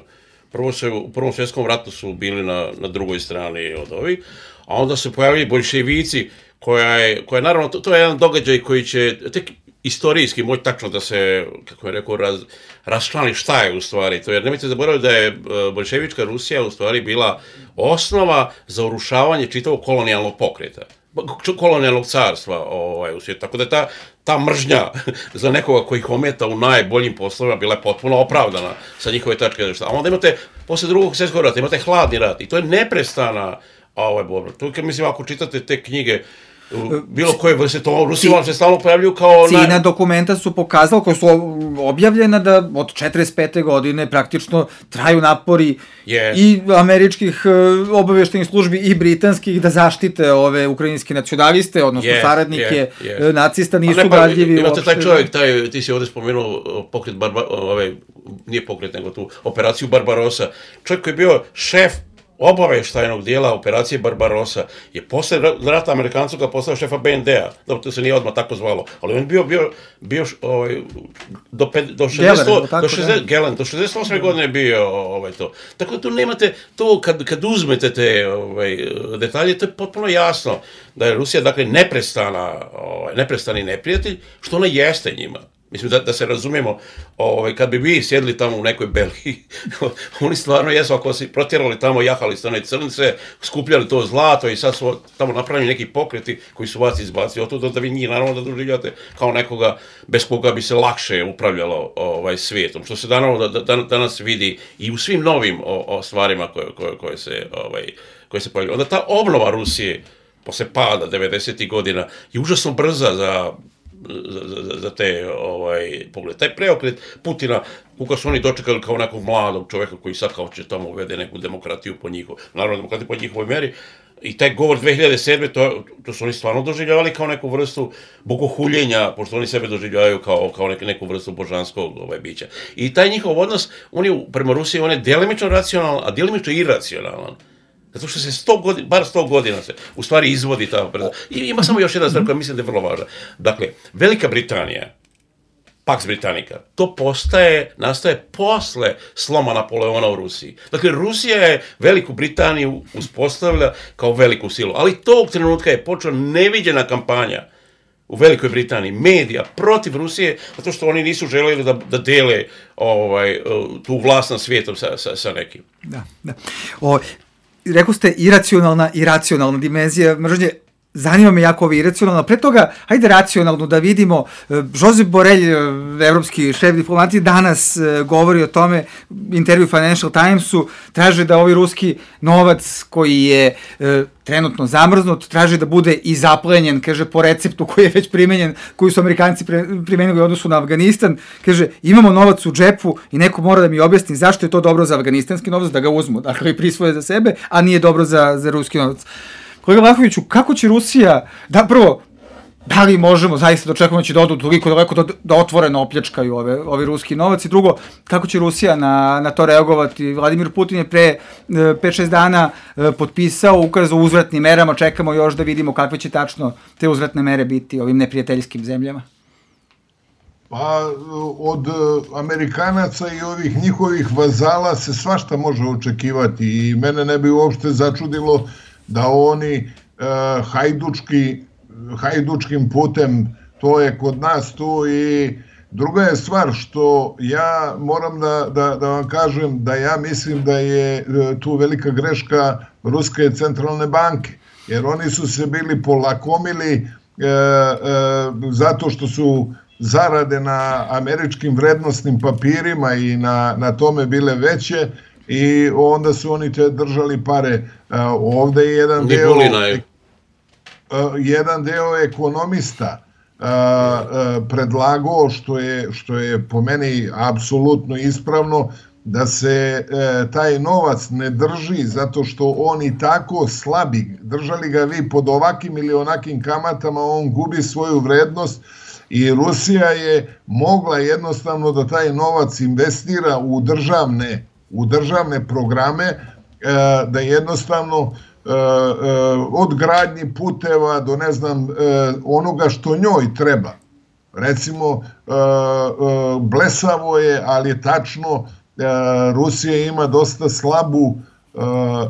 Prvo se, u Prvom svjetskom ratu su bili na, na drugoj strani od ovih, a onda se pojavili boljševici, koja je, koja je naravno, to, to je jedan događaj koji će tek istorijski moći tačno da se, kako je rekao, raz, raščlani šta je u stvari to, jer nemojte zaboraviti da je boljševička Rusija u stvari bila osnova za urušavanje čitavog kolonijalnog pokreta. kolonijalnog carstva ovaj, u svijetu. Tako da je ta, ta mržnja za nekoga koji ih ometa u najboljim poslovima bila je potpuno opravdana sa njihove tačke. A onda imate, posle drugog svjetskog rata, imate hladni rat i to je neprestana ovaj, borba. To je, mislim, ako čitate te knjige, bilo koje vrste, to Rusi vam se stalno pojavljuju kao... Cina dokumenta su pokazala, koja su objavljena da od četrdeset pete godine praktično traju napori yes. i američkih obavještajnih službi i britanskih da zaštite ove ukrajinske nacionaliste, odnosno yes, saradnike yes, yes. nacista, nisu gadljivi uopšte. Imate taj čovjek, taj, ti si ovdje spomenuo pokret, Barba, ove, nije pokret, nego tu operaciju Barbarossa, čovjek koji je bio šef obaveštajnog dijela operacije Barbarossa je posle rata Amerikancu ga postao šefa B N D-a, dobro, to se nije odmah tako zvalo, ali on bio, bio, bio ovaj, do, do, šezdeset, do, šezdeset, Gelen, do šezdeset osme godine bio ovaj, to. Tako da tu nemate, to kad, kad uzmete te ovaj, detalje, to je potpuno jasno da je Rusija, dakle, neprestana, ovaj, neprestani neprijatelj, što ona jeste njima. Mislim, da, da se razumijemo, ovaj, kad bi vi sjedli tamo u nekoj Belgiji, oni stvarno jesu, ako si protjerali tamo, jahali ste one crnice, skupljali to zlato i sad su tamo napravljeni neki pokreti koji su vas izbacili. Oto da vi njih naravno da doživljate kao nekoga bez koga bi se lakše upravljalo ovaj, svijetom. Što se naravno da, da, danas vidi i u svim novim o, o stvarima koje, koje, koje se, ovaj, koje se pojavljaju. Onda ta obnova Rusije, posle pada devedesetih godina, je užasno brza za... Za, za, za te ovaj, pogled. Taj preokret Putina, kako su oni dočekali kao nekog mladog čovjeka koji sad kao će tamo uvede neku demokratiju po njihovoj, naravno demokratiju po njihovoj meri, i taj govor dve hiljade sedme to, to su oni stvarno doživljavali kao neku vrstu bogohuljenja, pošto oni sebe doživljavaju kao, kao nek, neku vrstu božanskog ovaj, bića. I taj njihov odnos, on je prema Rusiji, on je delimično racionalan, a delimično iracionalan. Zato što se sto godina, bar sto godina se u stvari izvodi ta operacija. I ima samo još jedna stvar koja mislim da je vrlo važna. Dakle, Velika Britanija, Pax Britannica, to postaje, nastaje posle sloma Napoleona u Rusiji. Dakle, Rusija je Veliku Britaniju uspostavlja kao veliku silu, ali tog trenutka je počela neviđena kampanja u Velikoj Britaniji, medija, protiv Rusije, zato što oni nisu želeli da, da dele ovaj, tu vlast na svijetom sa, sa, sa nekim. Da, da. O... Rekao ste iracionalna i racionalna dimenzija mržnje. Zanima me jako ovo iracionalno. Pre toga, hajde racionalno da vidimo. Josep Borrell, evropski šef diplomatije, danas govori o tome, intervju Financial Timesu, traže da ovaj ruski novac koji je e, trenutno zamrznut, traže da bude i zaplenjen, kaže, po receptu koji je već primenjen, koji su Amerikanci pre, primenili u odnosu na Afganistan. Kaže, imamo novac u džepu i neko mora da mi objasni zašto je to dobro za afganistanski novac, da ga uzmu, dakle i prisvoje za sebe, a nije dobro za, za ruski novac. Kolega Vlahoviću, kako će Rusija, da prvo, da li možemo zaista da očekujemo da će da odu toliko daleko da, da otvoreno opljačkaju ove, ovi ruski novac, i drugo, kako će Rusija na, na to reagovati? Vladimir Putin je pre pet šest dana potpisao ukaz o uzvratnim merama, čekamo još da vidimo kakve će tačno te uzvratne mere biti ovim neprijateljskim zemljama. Pa od Amerikanaca i ovih njihovih vazala se svašta može očekivati i mene ne bi uopšte začudilo da oni uh, hajdučki, hajdučkim putem, to je kod nas tu. I druga je stvar što ja moram da, da, da vam kažem da ja mislim da je tu velika greška Ruske centralne banke, jer oni su se bili polakomili uh, uh, zato što su zarade na američkim vrednostnim papirima i na, na tome bile veće, i onda su oni te držali pare. Ovde je jedan deo, jedan deo ekonomista predlagao, što je, što je po meni apsolutno ispravno, da se taj novac ne drži zato što on i tako slabi. Držali ga vi pod ovakim ili onakim kamatama, on gubi svoju vrednost. I Rusija je mogla jednostavno da taj novac investira u državne u državne programe, da jednostavno od gradnji puteva do ne znam onoga što njoj treba. Recimo, blesavo je, ali je tačno, Rusija ima dosta slabu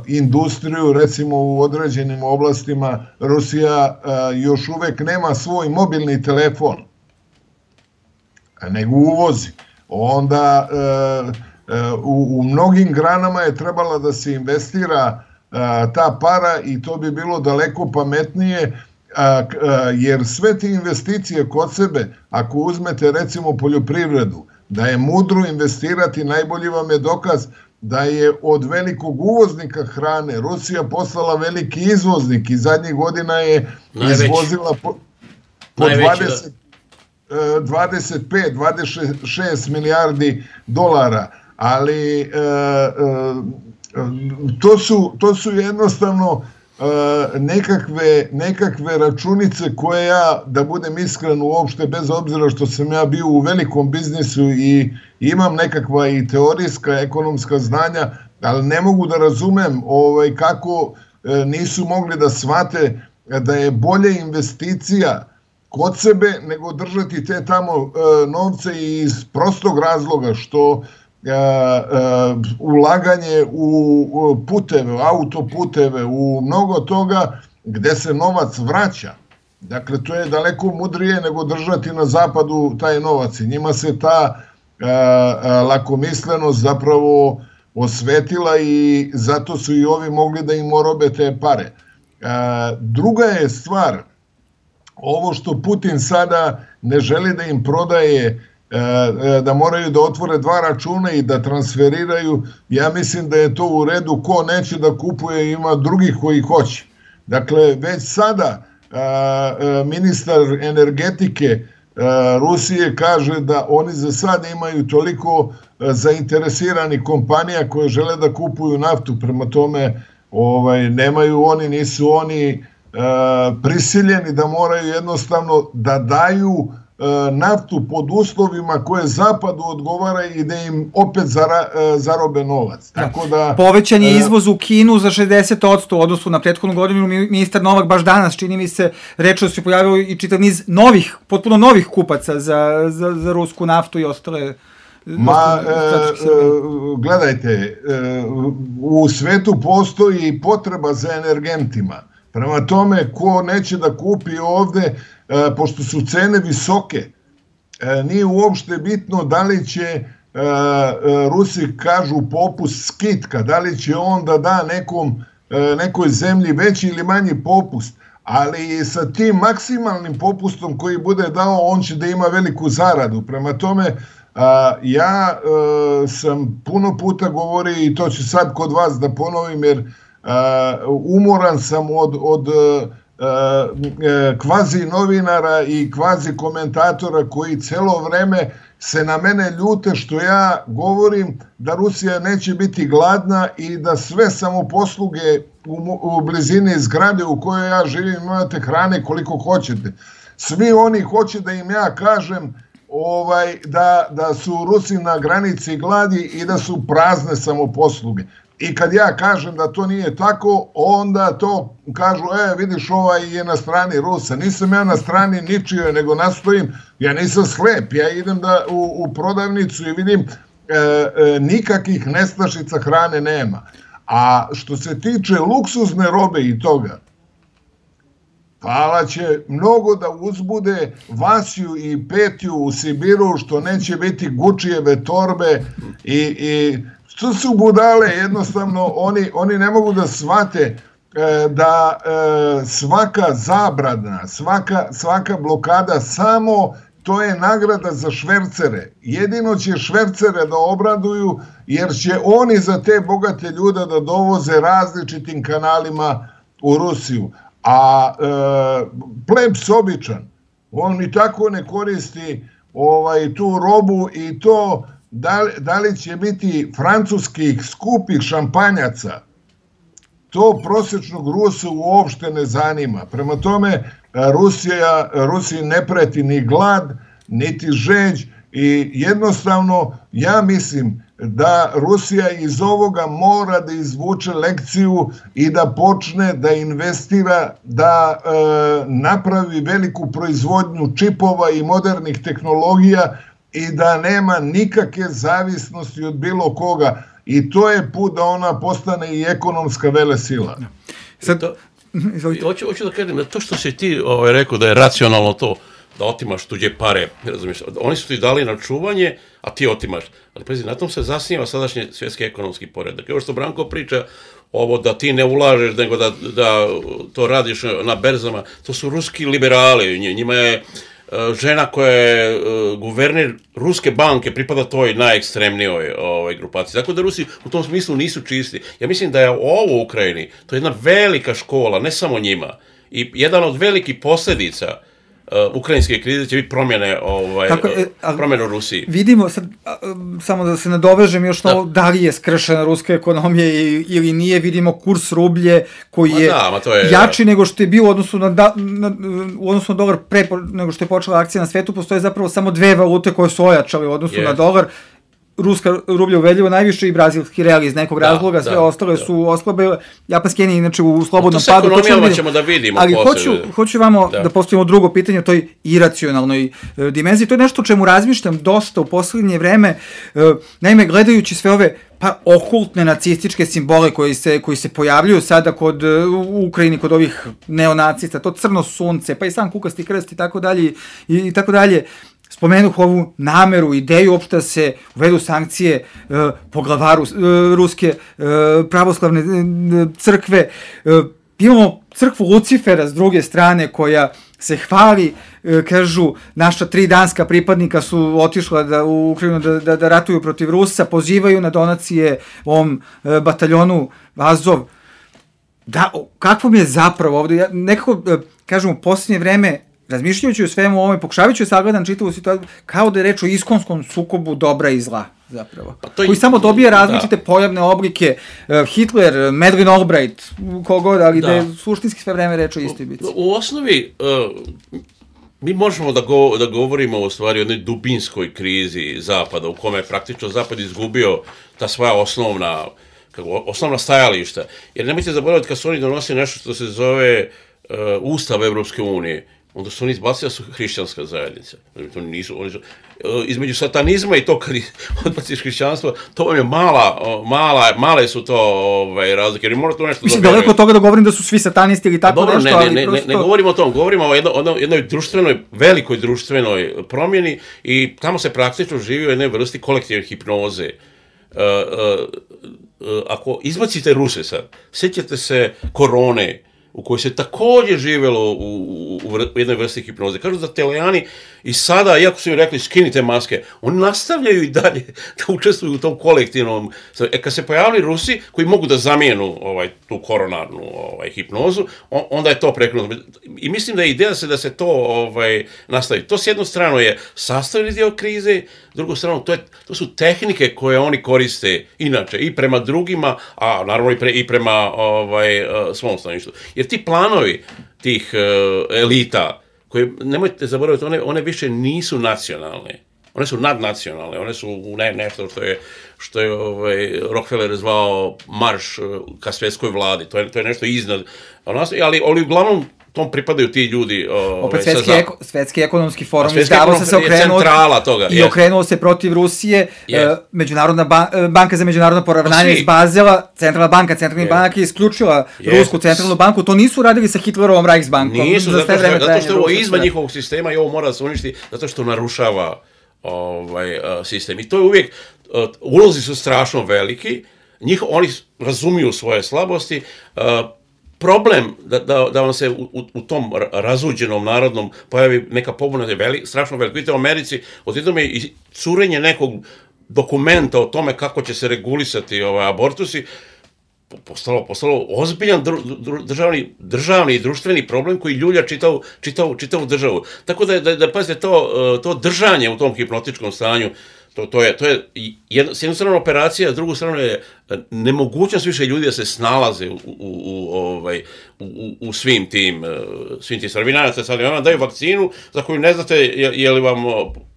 industriju, recimo u određenim oblastima Rusija još uvek nema svoj mobilni telefon, nego uvozi. Onda U, u mnogim granama je trebala da se investira a, ta para, i to bi bilo daleko pametnije a, a, jer sve te investicije kod sebe, ako uzmete recimo poljoprivredu, da je mudro investirati, najbolji vam je dokaz da je od velikog uvoznika hrane Rusija postala veliki izvoznik i zadnjih godina je najveći. Izvozila po, po dvadeset, dvadeset pet dvadeset šest milijardi dolara, ali e, e, to, su, to su jednostavno e, nekakve, nekakve računice koje ja, da budem iskren uopšte, bez obzira što sam ja bio u velikom biznisu i imam nekakva i teorijska ekonomska znanja, ali ne mogu da razumem ovaj, kako e, nisu mogli da shvate da je bolje investicija kod sebe nego držati te tamo e, novce iz prostog razloga što e, e, ulaganje u puteve, autoputeve, u mnogo toga gde se novac vraća. Dakle, to je daleko mudrije nego držati na zapadu taj novac i njima se ta e, e, lakomislenost zapravo osvetila i zato su i ovi mogli da im orobe te pare. E, druga je stvar, ovo što Putin sada ne želi da im prodaje, da moraju da otvore dva računa i da transferiraju, ja mislim da je to u redu, ko neće da kupuje ima drugih koji hoće. Dakle, već sada ministar energetike Rusije kaže da oni za sad imaju toliko zainteresiranih kompanija koje žele da kupuju naftu, prema tome ovaj, nemaju oni, nisu oni prisiljeni da moraju jednostavno da daju naftu pod uslovima koje zapadu odgovara i da im opet zara, zarobe novac. Tako da, povećan je izvoz u Kinu za šezdeset posto u odnosu na prethodnu godinu. Ministar Novak baš danas, čini mi se, reče da se pojavio i čitav niz novih, potpuno novih kupaca za, za, za rusku naftu i ostale. Ma, e, gledajte, e, u svetu postoji potreba za energentima. Prema tome, ko neće da kupi ovde, e, pošto su cene visoke, e, nije uopšte bitno da li će, e, Rusi kažu popust skitka, da li će on da da nekom, e, nekoj zemlji veći ili manji popust, ali sa tim maksimalnim popustom koji bude dao, on će da ima veliku zaradu. Prema tome, a, ja e, sam puno puta govorio i to ću sad kod vas da ponovim, jer Uh, umoran sam od, od uh, uh, kvazi novinara i kvazi komentatora koji celo vreme se na mene ljute što ja govorim da Rusija neće biti gladna i da sve samoposluge u, u blizini zgrade u kojoj ja živim imate hrane koliko hoćete. Svi oni hoće da im ja kažem ovaj, da, da su Rusi na granici gladi i da su prazne samoposluge. I kad ja kažem da to nije tako, onda to kažu, e, vidiš, ovaj je na strani Rusa. Nisam ja na strani ničije, nego nastojim, ja nisam slep, ja idem da, u, u prodavnicu i vidim, e, e, nikakvih nestašica hrane nema. A što se tiče luksuzne robe i toga, hvala će mnogo da uzbude Vasiju i Petju u Sibiru, što neće biti Gučijeve torbe i... i to su budale, jednostavno, oni, oni ne mogu da shvate e, da e, svaka zabrana, svaka, svaka blokada samo to je nagrada za švercere. Jedino će švercere da obraduju jer će oni za te bogate ljude da dovoze različitim kanalima u Rusiju. A e, plebs običan, on ni tako ne koristi ovaj, tu robu i to... Da li, da li će biti francuskih skupih šampanjaca, to prosječnog Rusa uopšte ne zanima. Prema tome, Rusija, Rusiji ne preti ni glad, niti žeđ i jednostavno ja mislim da Rusija iz ovoga mora da izvuče lekciju i da počne da investira, da e, napravi veliku proizvodnju čipova i modernih tehnologija i da nema nikakve zavisnosti od bilo koga. I to je put da ona postane i ekonomska velesila. Sad, to, hoću, hoću da kažem, to što si ti ovaj, rekao da je racionalno to, da otimaš tuđe pare, razumiješ, oni su ti dali na čuvanje, a ti otimaš. Ali pazi, na tom se zasniva sadašnji svjetski ekonomski poredak. Evo što Branko priča, ovo da ti ne ulažeš, nego da, da to radiš na berzama, to su ruski liberali, njima je žena koja je guverner Ruske banke, pripada toj najekstremnijoj ovaj, grupaciji. Tako da Rusi u tom smislu nisu čisti. Ja mislim da je ovo u Ukrajini, to je jedna velika škola, ne samo njima. I jedan od velikih posljedica uh, ukrajinske krize će biti promjene, ovaj, Tako, e, promjene u Rusiji. Vidimo, sad, a, samo da se nadovežem još na ovo, da li je skršena ruska ekonomija ili nije, vidimo kurs rublje koji je, da, to je jači da. nego što je bilo u odnosu na, da, na, u odnosu na dolar pre nego što je počela akcija na svetu. Postoje zapravo samo dve valute koje su ojačale u odnosu yes. na dolar. Ruska rublja uveljivo najviše i brazilski real iz nekog da, razloga, sve da, ostale da. su oslabile. Japanski jen je inače u slobodnom padu. To sa ekonomijama ćemo da vidimo. Ali hoću, hoću vamo da, da postavimo drugo pitanje o toj iracionalnoj e, dimenziji. To je nešto o čemu razmišljam dosta u posljednje vreme. E, naime, gledajući sve ove pa okultne nacističke simbole koji se, koji se pojavljuju sada kod, u Ukrajini kod ovih neonacista, to crno sunce, pa i sam kukasti krst i tako dalje i, i tako dalje. Spomenuh ovu nameru, ideju uopšte da se uvedu sankcije e, po glavaru e, Ruske e, pravoslavne e, crkve. E, imamo crkvu Lucifera s druge strane koja se hvali, e, kažu, naša tri danska pripadnika su otišla da, u Ukrajinu da, da, da ratuju protiv Rusa, pozivaju na donacije ovom e, bataljonu Azov. Da, kakvom je zapravo ovde, ja nekako, e, kažem, u posljednje vreme, razmišljajući o svemu ovome, pokušavajući sagledam čitavu situaciju, kao da je reč o iskonskom sukobu dobra i zla, zapravo. Pa to koji je, samo dobije različite da. pojavne oblike, uh, Hitler, Madeleine Albright, kogod, ali da. da je suštinski sve vreme reč o istoj bici. U, u osnovi, uh, mi možemo da, go, da govorimo o stvari o jednoj dubinskoj krizi Zapada, u kome je praktično Zapad izgubio ta svoja osnovna, kako, osnovna stajališta. Jer nemojte zaboraviti kad su oni donosili nešto što se zove uh, Ustav Evropske unije, onda su oni izbacili da su hrišćanska zajednica. To nisu, oni su, između satanizma i to kad odbaciš hrišćanstvo, to vam je mala, mala, male su to ovaj, razlike, jer mora to nešto... Mislim, daleko od toga da govorim da su svi satanisti ili tako Dobro, nešto, ne, ali ne, prosto... Ne, ne govorimo o tom, govorimo o jedno, jednoj društvenoj, velikoj društvenoj promjeni i tamo se praktično živi u jednoj vrsti kolektivne hipnoze. Uh, uh, uh, ako izbacite Ruse sad, sjećate se korone, u kojoj se također živjelo u, u, u jednoj vrsti hipnoze. Kažu da Telejani i sada, iako su im rekli skinite maske, oni nastavljaju i dalje da učestvuju u tom kolektivnom... E, kad se pojavili Rusi koji mogu da zamijenu ovaj, tu koronarnu ovaj, hipnozu, on, onda je to prekinuto. I mislim da je ideja se da se to ovaj, nastavi. To s jednu stranu je sastavni dio krize, s drugu stranu to, je, to su tehnike koje oni koriste inače i prema drugima, a naravno i, pre, i prema ovaj, svom staništu. Jer ti planovi tih uh, elita, koje, nemojte zaboraviti, one, one više nisu nacionalne. One su nadnacionalne, one su ne, nešto što je, što je ovaj, Rockefeller zvao marš ka svjetskoj vladi. To je, to je nešto iznad. Ali, ali uglavnom tom pripadaju ti ljudi. Ovaj, Opet svetski, eko, svetski ekonomski forum izdavo se se okrenuo toga, i okrenuo se protiv Rusije. Yes. Međunarodna ban, banka za međunarodno poravnanje iz Bazela, centralna banka, centralni yes. banka je isključila yes. Rusku centralnu banku. To nisu radili sa Hitlerovom Reichsbankom. Nisu, za zato, što, zato što je ovo izvan njihovog sistema i ovo mora da se uništi zato što narušava ovaj, uh, sistem. I to je uvijek, uh, ulozi su strašno veliki, njih, oni razumiju svoje slabosti, uh, problem da, da, da vam se u, u tom razuđenom narodnom pojavi neka pobuna je veli, strašno veliko. Vidite, u Americi odjednom je i curenje nekog dokumenta o tome kako će se regulisati ovaj, abortusi, postalo, postalo ozbiljan dru, dru, državni, državni i društveni problem koji ljulja čitavu, čitavu, čitavu državu. Tako da, da, da pazite, to, to držanje u tom hipnotičkom stanju, to, to je, to je jedna, s jednu stranu operacija, s drugu stranu je nemogućnost više ljudi da se snalaze u, u, u, ovaj, u, u svim tim, svim tim stvari. Vi nadate sad, vam daju vakcinu za koju ne znate je, je li vam,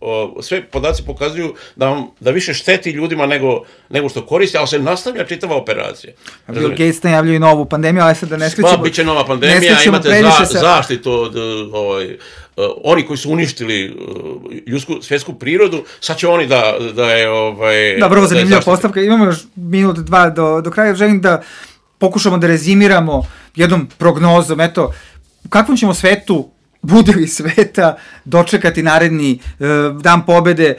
o, sve podaci pokazuju da, vam, da više šteti ljudima nego, nego što koriste, ali se nastavlja čitava operacija. Bill Gates najavljaju novu pandemiju, ali sad da ne skrećemo... Pa, bit će nova pandemija, imate za, sa... zaštitu od... Ovaj, Uh, oni koji su uništili uh, ljudsku, svjetsku prirodu, sad će oni da, da je... Ovaj, da, vrlo zanimljiva postavka. Imamo još minut, dva do, do kraja. Želim da pokušamo da rezimiramo jednom prognozom. Eto, u kakvom ćemo svetu budili sveta, dočekati naredni e, dan pobede. E,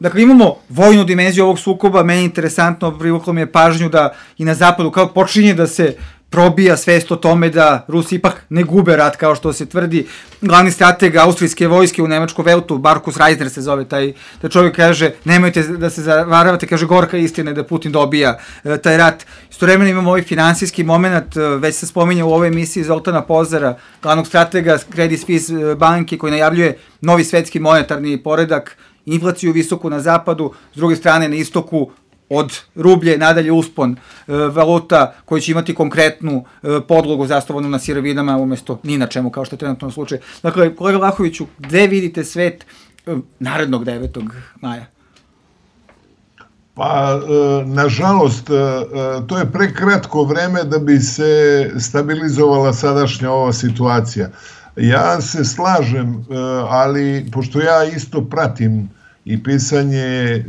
dakle, imamo vojnu dimenziju ovog sukoba, meni je interesantno, privuklo mi je pažnju da i na zapadu kao počinje da se probija svest o tome da Rusi ipak ne gube rat kao što se tvrdi. Glavni strateg austrijske vojske u Nemačkom Veltu, Markus Reisner se zove, taj, taj čovjek kaže, nemojte da se zavaravate, kaže, gorka istina da Putin dobija e, taj rat. Istovremeno imamo ovaj finansijski moment, već se spominja u ovoj emisiji Zoltana Pozara, glavnog stratega Credit Suisse banke, koji najavljuje novi svetski monetarni poredak, inflaciju visoku na zapadu, s druge strane na istoku od rublje nadalje uspon e, valuta koji će imati konkretnu e, podlogu zasnovanu na sirovinama umjesto ni na čemu, kao što je trenutno slučaj. Dakle, kolega Vlahoviću, gde vidite svet e, narednog devetog maja? Pa, e, nažalost, e, to je prekratko vreme da bi se stabilizovala sadašnja ova situacija. Ja se slažem, e, ali pošto ja isto pratim i pisanje e,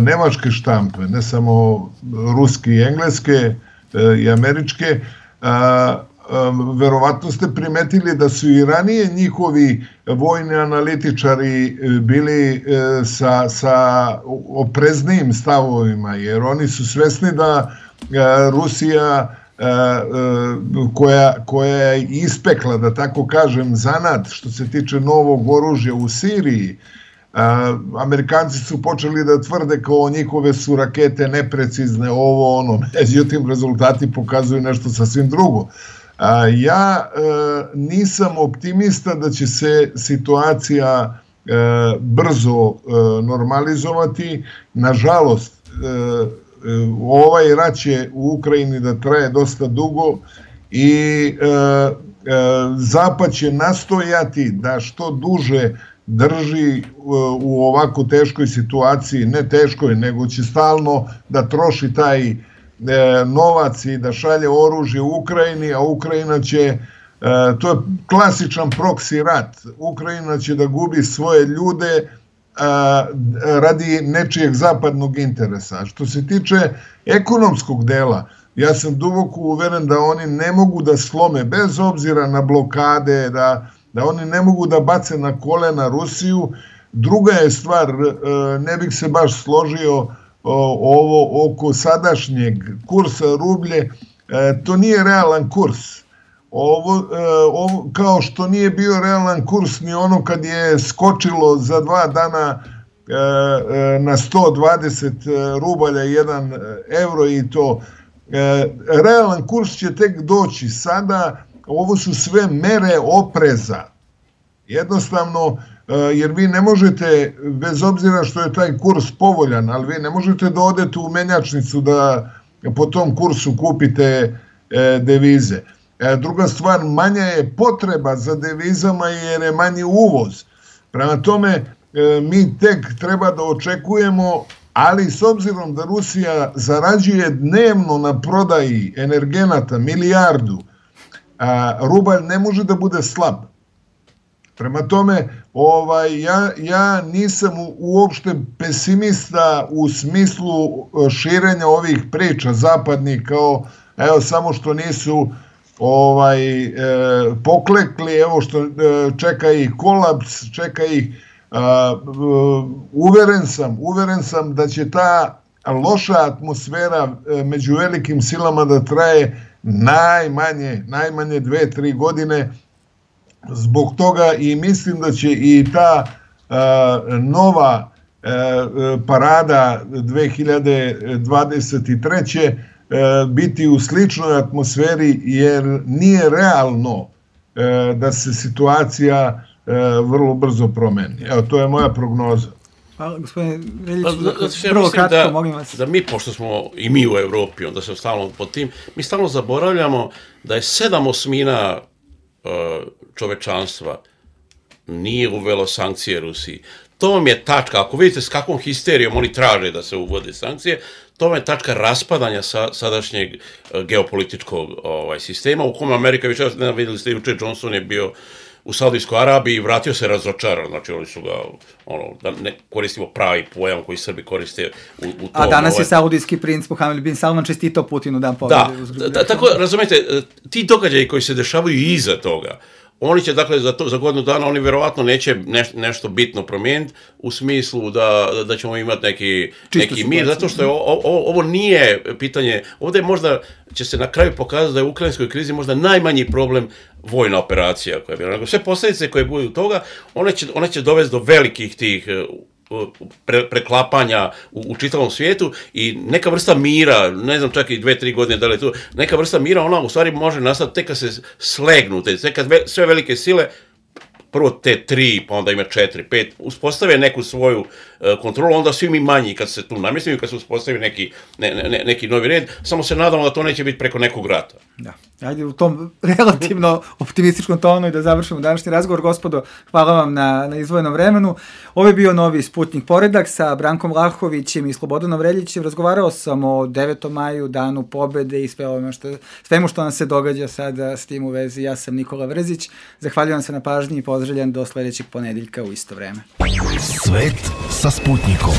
nemačke štampe, ne samo ruske i engleske e, i američke, a, a, verovatno ste primetili da su i ranije njihovi vojni analitičari bili e, sa, sa opreznijim stavovima, jer oni su svesni da e, Rusija e, e, koja, koja je ispekla, da tako kažem, zanat što se tiče novog oružja u Siriji. Amerikanci su počeli da tvrde kao njihove su rakete neprecizne, ovo ono, međutim rezultati pokazuju nešto sasvim drugo. Ja nisam optimista da će se situacija brzo normalizovati. Nažalost, ovaj rat će u Ukrajini da traje dosta dugo i Zapad će nastojati da što duže drži u ovako teškoj situaciji, ne teškoj, nego će stalno da troši taj novac i da šalje oružje u Ukrajini, a Ukrajina će, to je klasičan proksi rat, Ukrajina će da gubi svoje ljude radi nečijeg zapadnog interesa. Što se tiče ekonomskog dela, ja sam duboko uveren da oni ne mogu da slome, bez obzira na blokade, da da oni ne mogu da bace na kolena Rusiju. Druga je stvar, ne bih se baš složio ovo oko sadašnjeg kursa rublje, to nije realan kurs. Ovo, ovo, kao što nije bio realan kurs ni ono kad je skočilo za dva dana na sto dvadeset rubalja jedan euro i to. Realan kurs će tek doći sada. Ovo su sve mere opreza. Jednostavno, jer vi ne možete, bez obzira što je taj kurs povoljan, ali vi ne možete da odete u menjačnicu da po tom kursu kupite devize. Druga stvar, manja je potreba za devizama jer je manji uvoz. Prema tome, mi tek treba da očekujemo, ali s obzirom da Rusija zarađuje dnevno na prodaji energenata milijardu, a rubalj ne može da bude slab. Prema tome, ovaj, ja, ja nisam uopšte pesimista u smislu širenja ovih priča zapadnih, kao evo samo što nisu ovaj, e, poklekli, evo što e, čeka ih kolaps, čeka ih, a, uveren sam, uveren sam da će ta loša atmosfera među velikim silama da traje najmanje, najmanje dve, tri godine. Zbog toga i mislim da će i ta a, nova a, parada dve hiljade dvadeset treće a, biti u sličnoj atmosferi, jer nije realno a, da se situacija a, vrlo brzo promeni. Evo, to je moja prognoza. Hvala, gospodine Veljić, prvo kratko, da, molim vas. Da mi, pošto smo i mi u Evropi, onda se stalno pod tim, mi stalno zaboravljamo da je sedam osmina uh, čovečanstva nije uvelo sankcije Rusiji. To vam je tačka, ako vidite s kakvom histerijom oni traže da se uvode sankcije, to vam je tačka raspadanja sa, sadašnjeg uh, geopolitičkog ovaj, sistema, u kome Amerika, više ne vidjeli ste, juče Johnson je bio u Saudijskoj Arabiji i vratio se razočaran, znači oni su ga, ono, da ne koristimo pravi pojam koji Srbi koriste u, u to. A danas je saudijski princ Mohamed bin Salman čestitao Putinu dan pobjede. Da, da, tako, razumijete, ti događaji koji se dešavaju iza toga, Oni će, dakle, za, to, za godinu dana, oni verovatno neće neš, nešto bitno promijeniti u smislu da, da ćemo imati neki, neki mir, zato što je o, o, ovo nije pitanje, ovdje možda će se na kraju pokazati da je u ukrajinskoj krizi možda najmanji problem vojna operacija koja je bila. Nego sve posljedice koje budu toga, one će, one će dovesti do velikih tih Pre, preklapanja u, u čitavom svijetu i neka vrsta mira, ne znam čak i dve, tri godine da li je tu, neka vrsta mira, ona u stvari može nastati tek kad se slegnu, tek kad sve velike sile, prvo te tri, pa onda ima četiri, pet, uspostave neku svoju uh, kontrolu, onda svi mi manji kad se tu namjestimo, kad se uspostavi neki, ne, ne, neki novi red, samo se nadamo da to neće biti preko nekog rata. Da. Ajde u tom relativno optimističkom tonu i da završimo današnji razgovor. Gospodo, hvala vam na, na izdvojenom vremenu. Ovo je bio novi Sputnik Poredak sa Brankom Vlahovićem i Slobodanom Reljićem. Razgovarao sam o devetom maju, danu pobede i sve ono što, svemu što nam se događa sada s tim u vezi. Ja sam Nikola Vrzić. Zahvaljujem se na pažnji i pozdravljam do sljedećeg ponedjeljka u isto vreme. Svet sa Sputnikom.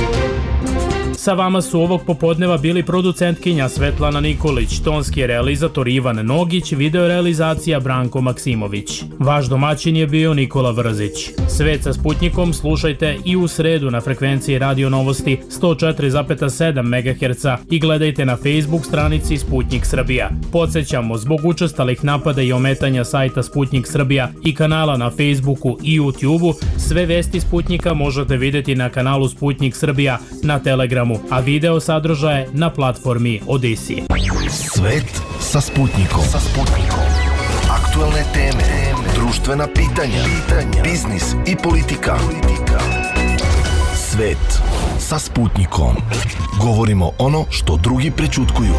Sa vama su ovog popodneva bili producentkinja Svetlana Nikolić, tonski realizator Ivan Nogić, videorealizacija Branko Maksimović. Vaš domaćin je bio Nikola Vrzić. Svet sa Sputnikom slušajte i u sredu na frekvenciji Radio Novosti sto četiri zarez sedam megaherca i gledajte na Facebook stranici Sputnik Srbija. Podsjećamo, zbog učestalih napada i ometanja sajta Sputnik Srbija i kanala na Facebooku i YouTubeu, sve vesti Sputnika možete vidjeti na kanalu Sputnik Srbija na Telegramu, a video sadržaje na platformi Odisi. Svet sa Sputnikom. Sa Sputnikom. Aktualne teme, društvena pitanja, biznis i politika. Svet sa Sputnikom. Govorimo ono što drugi prećutkuju.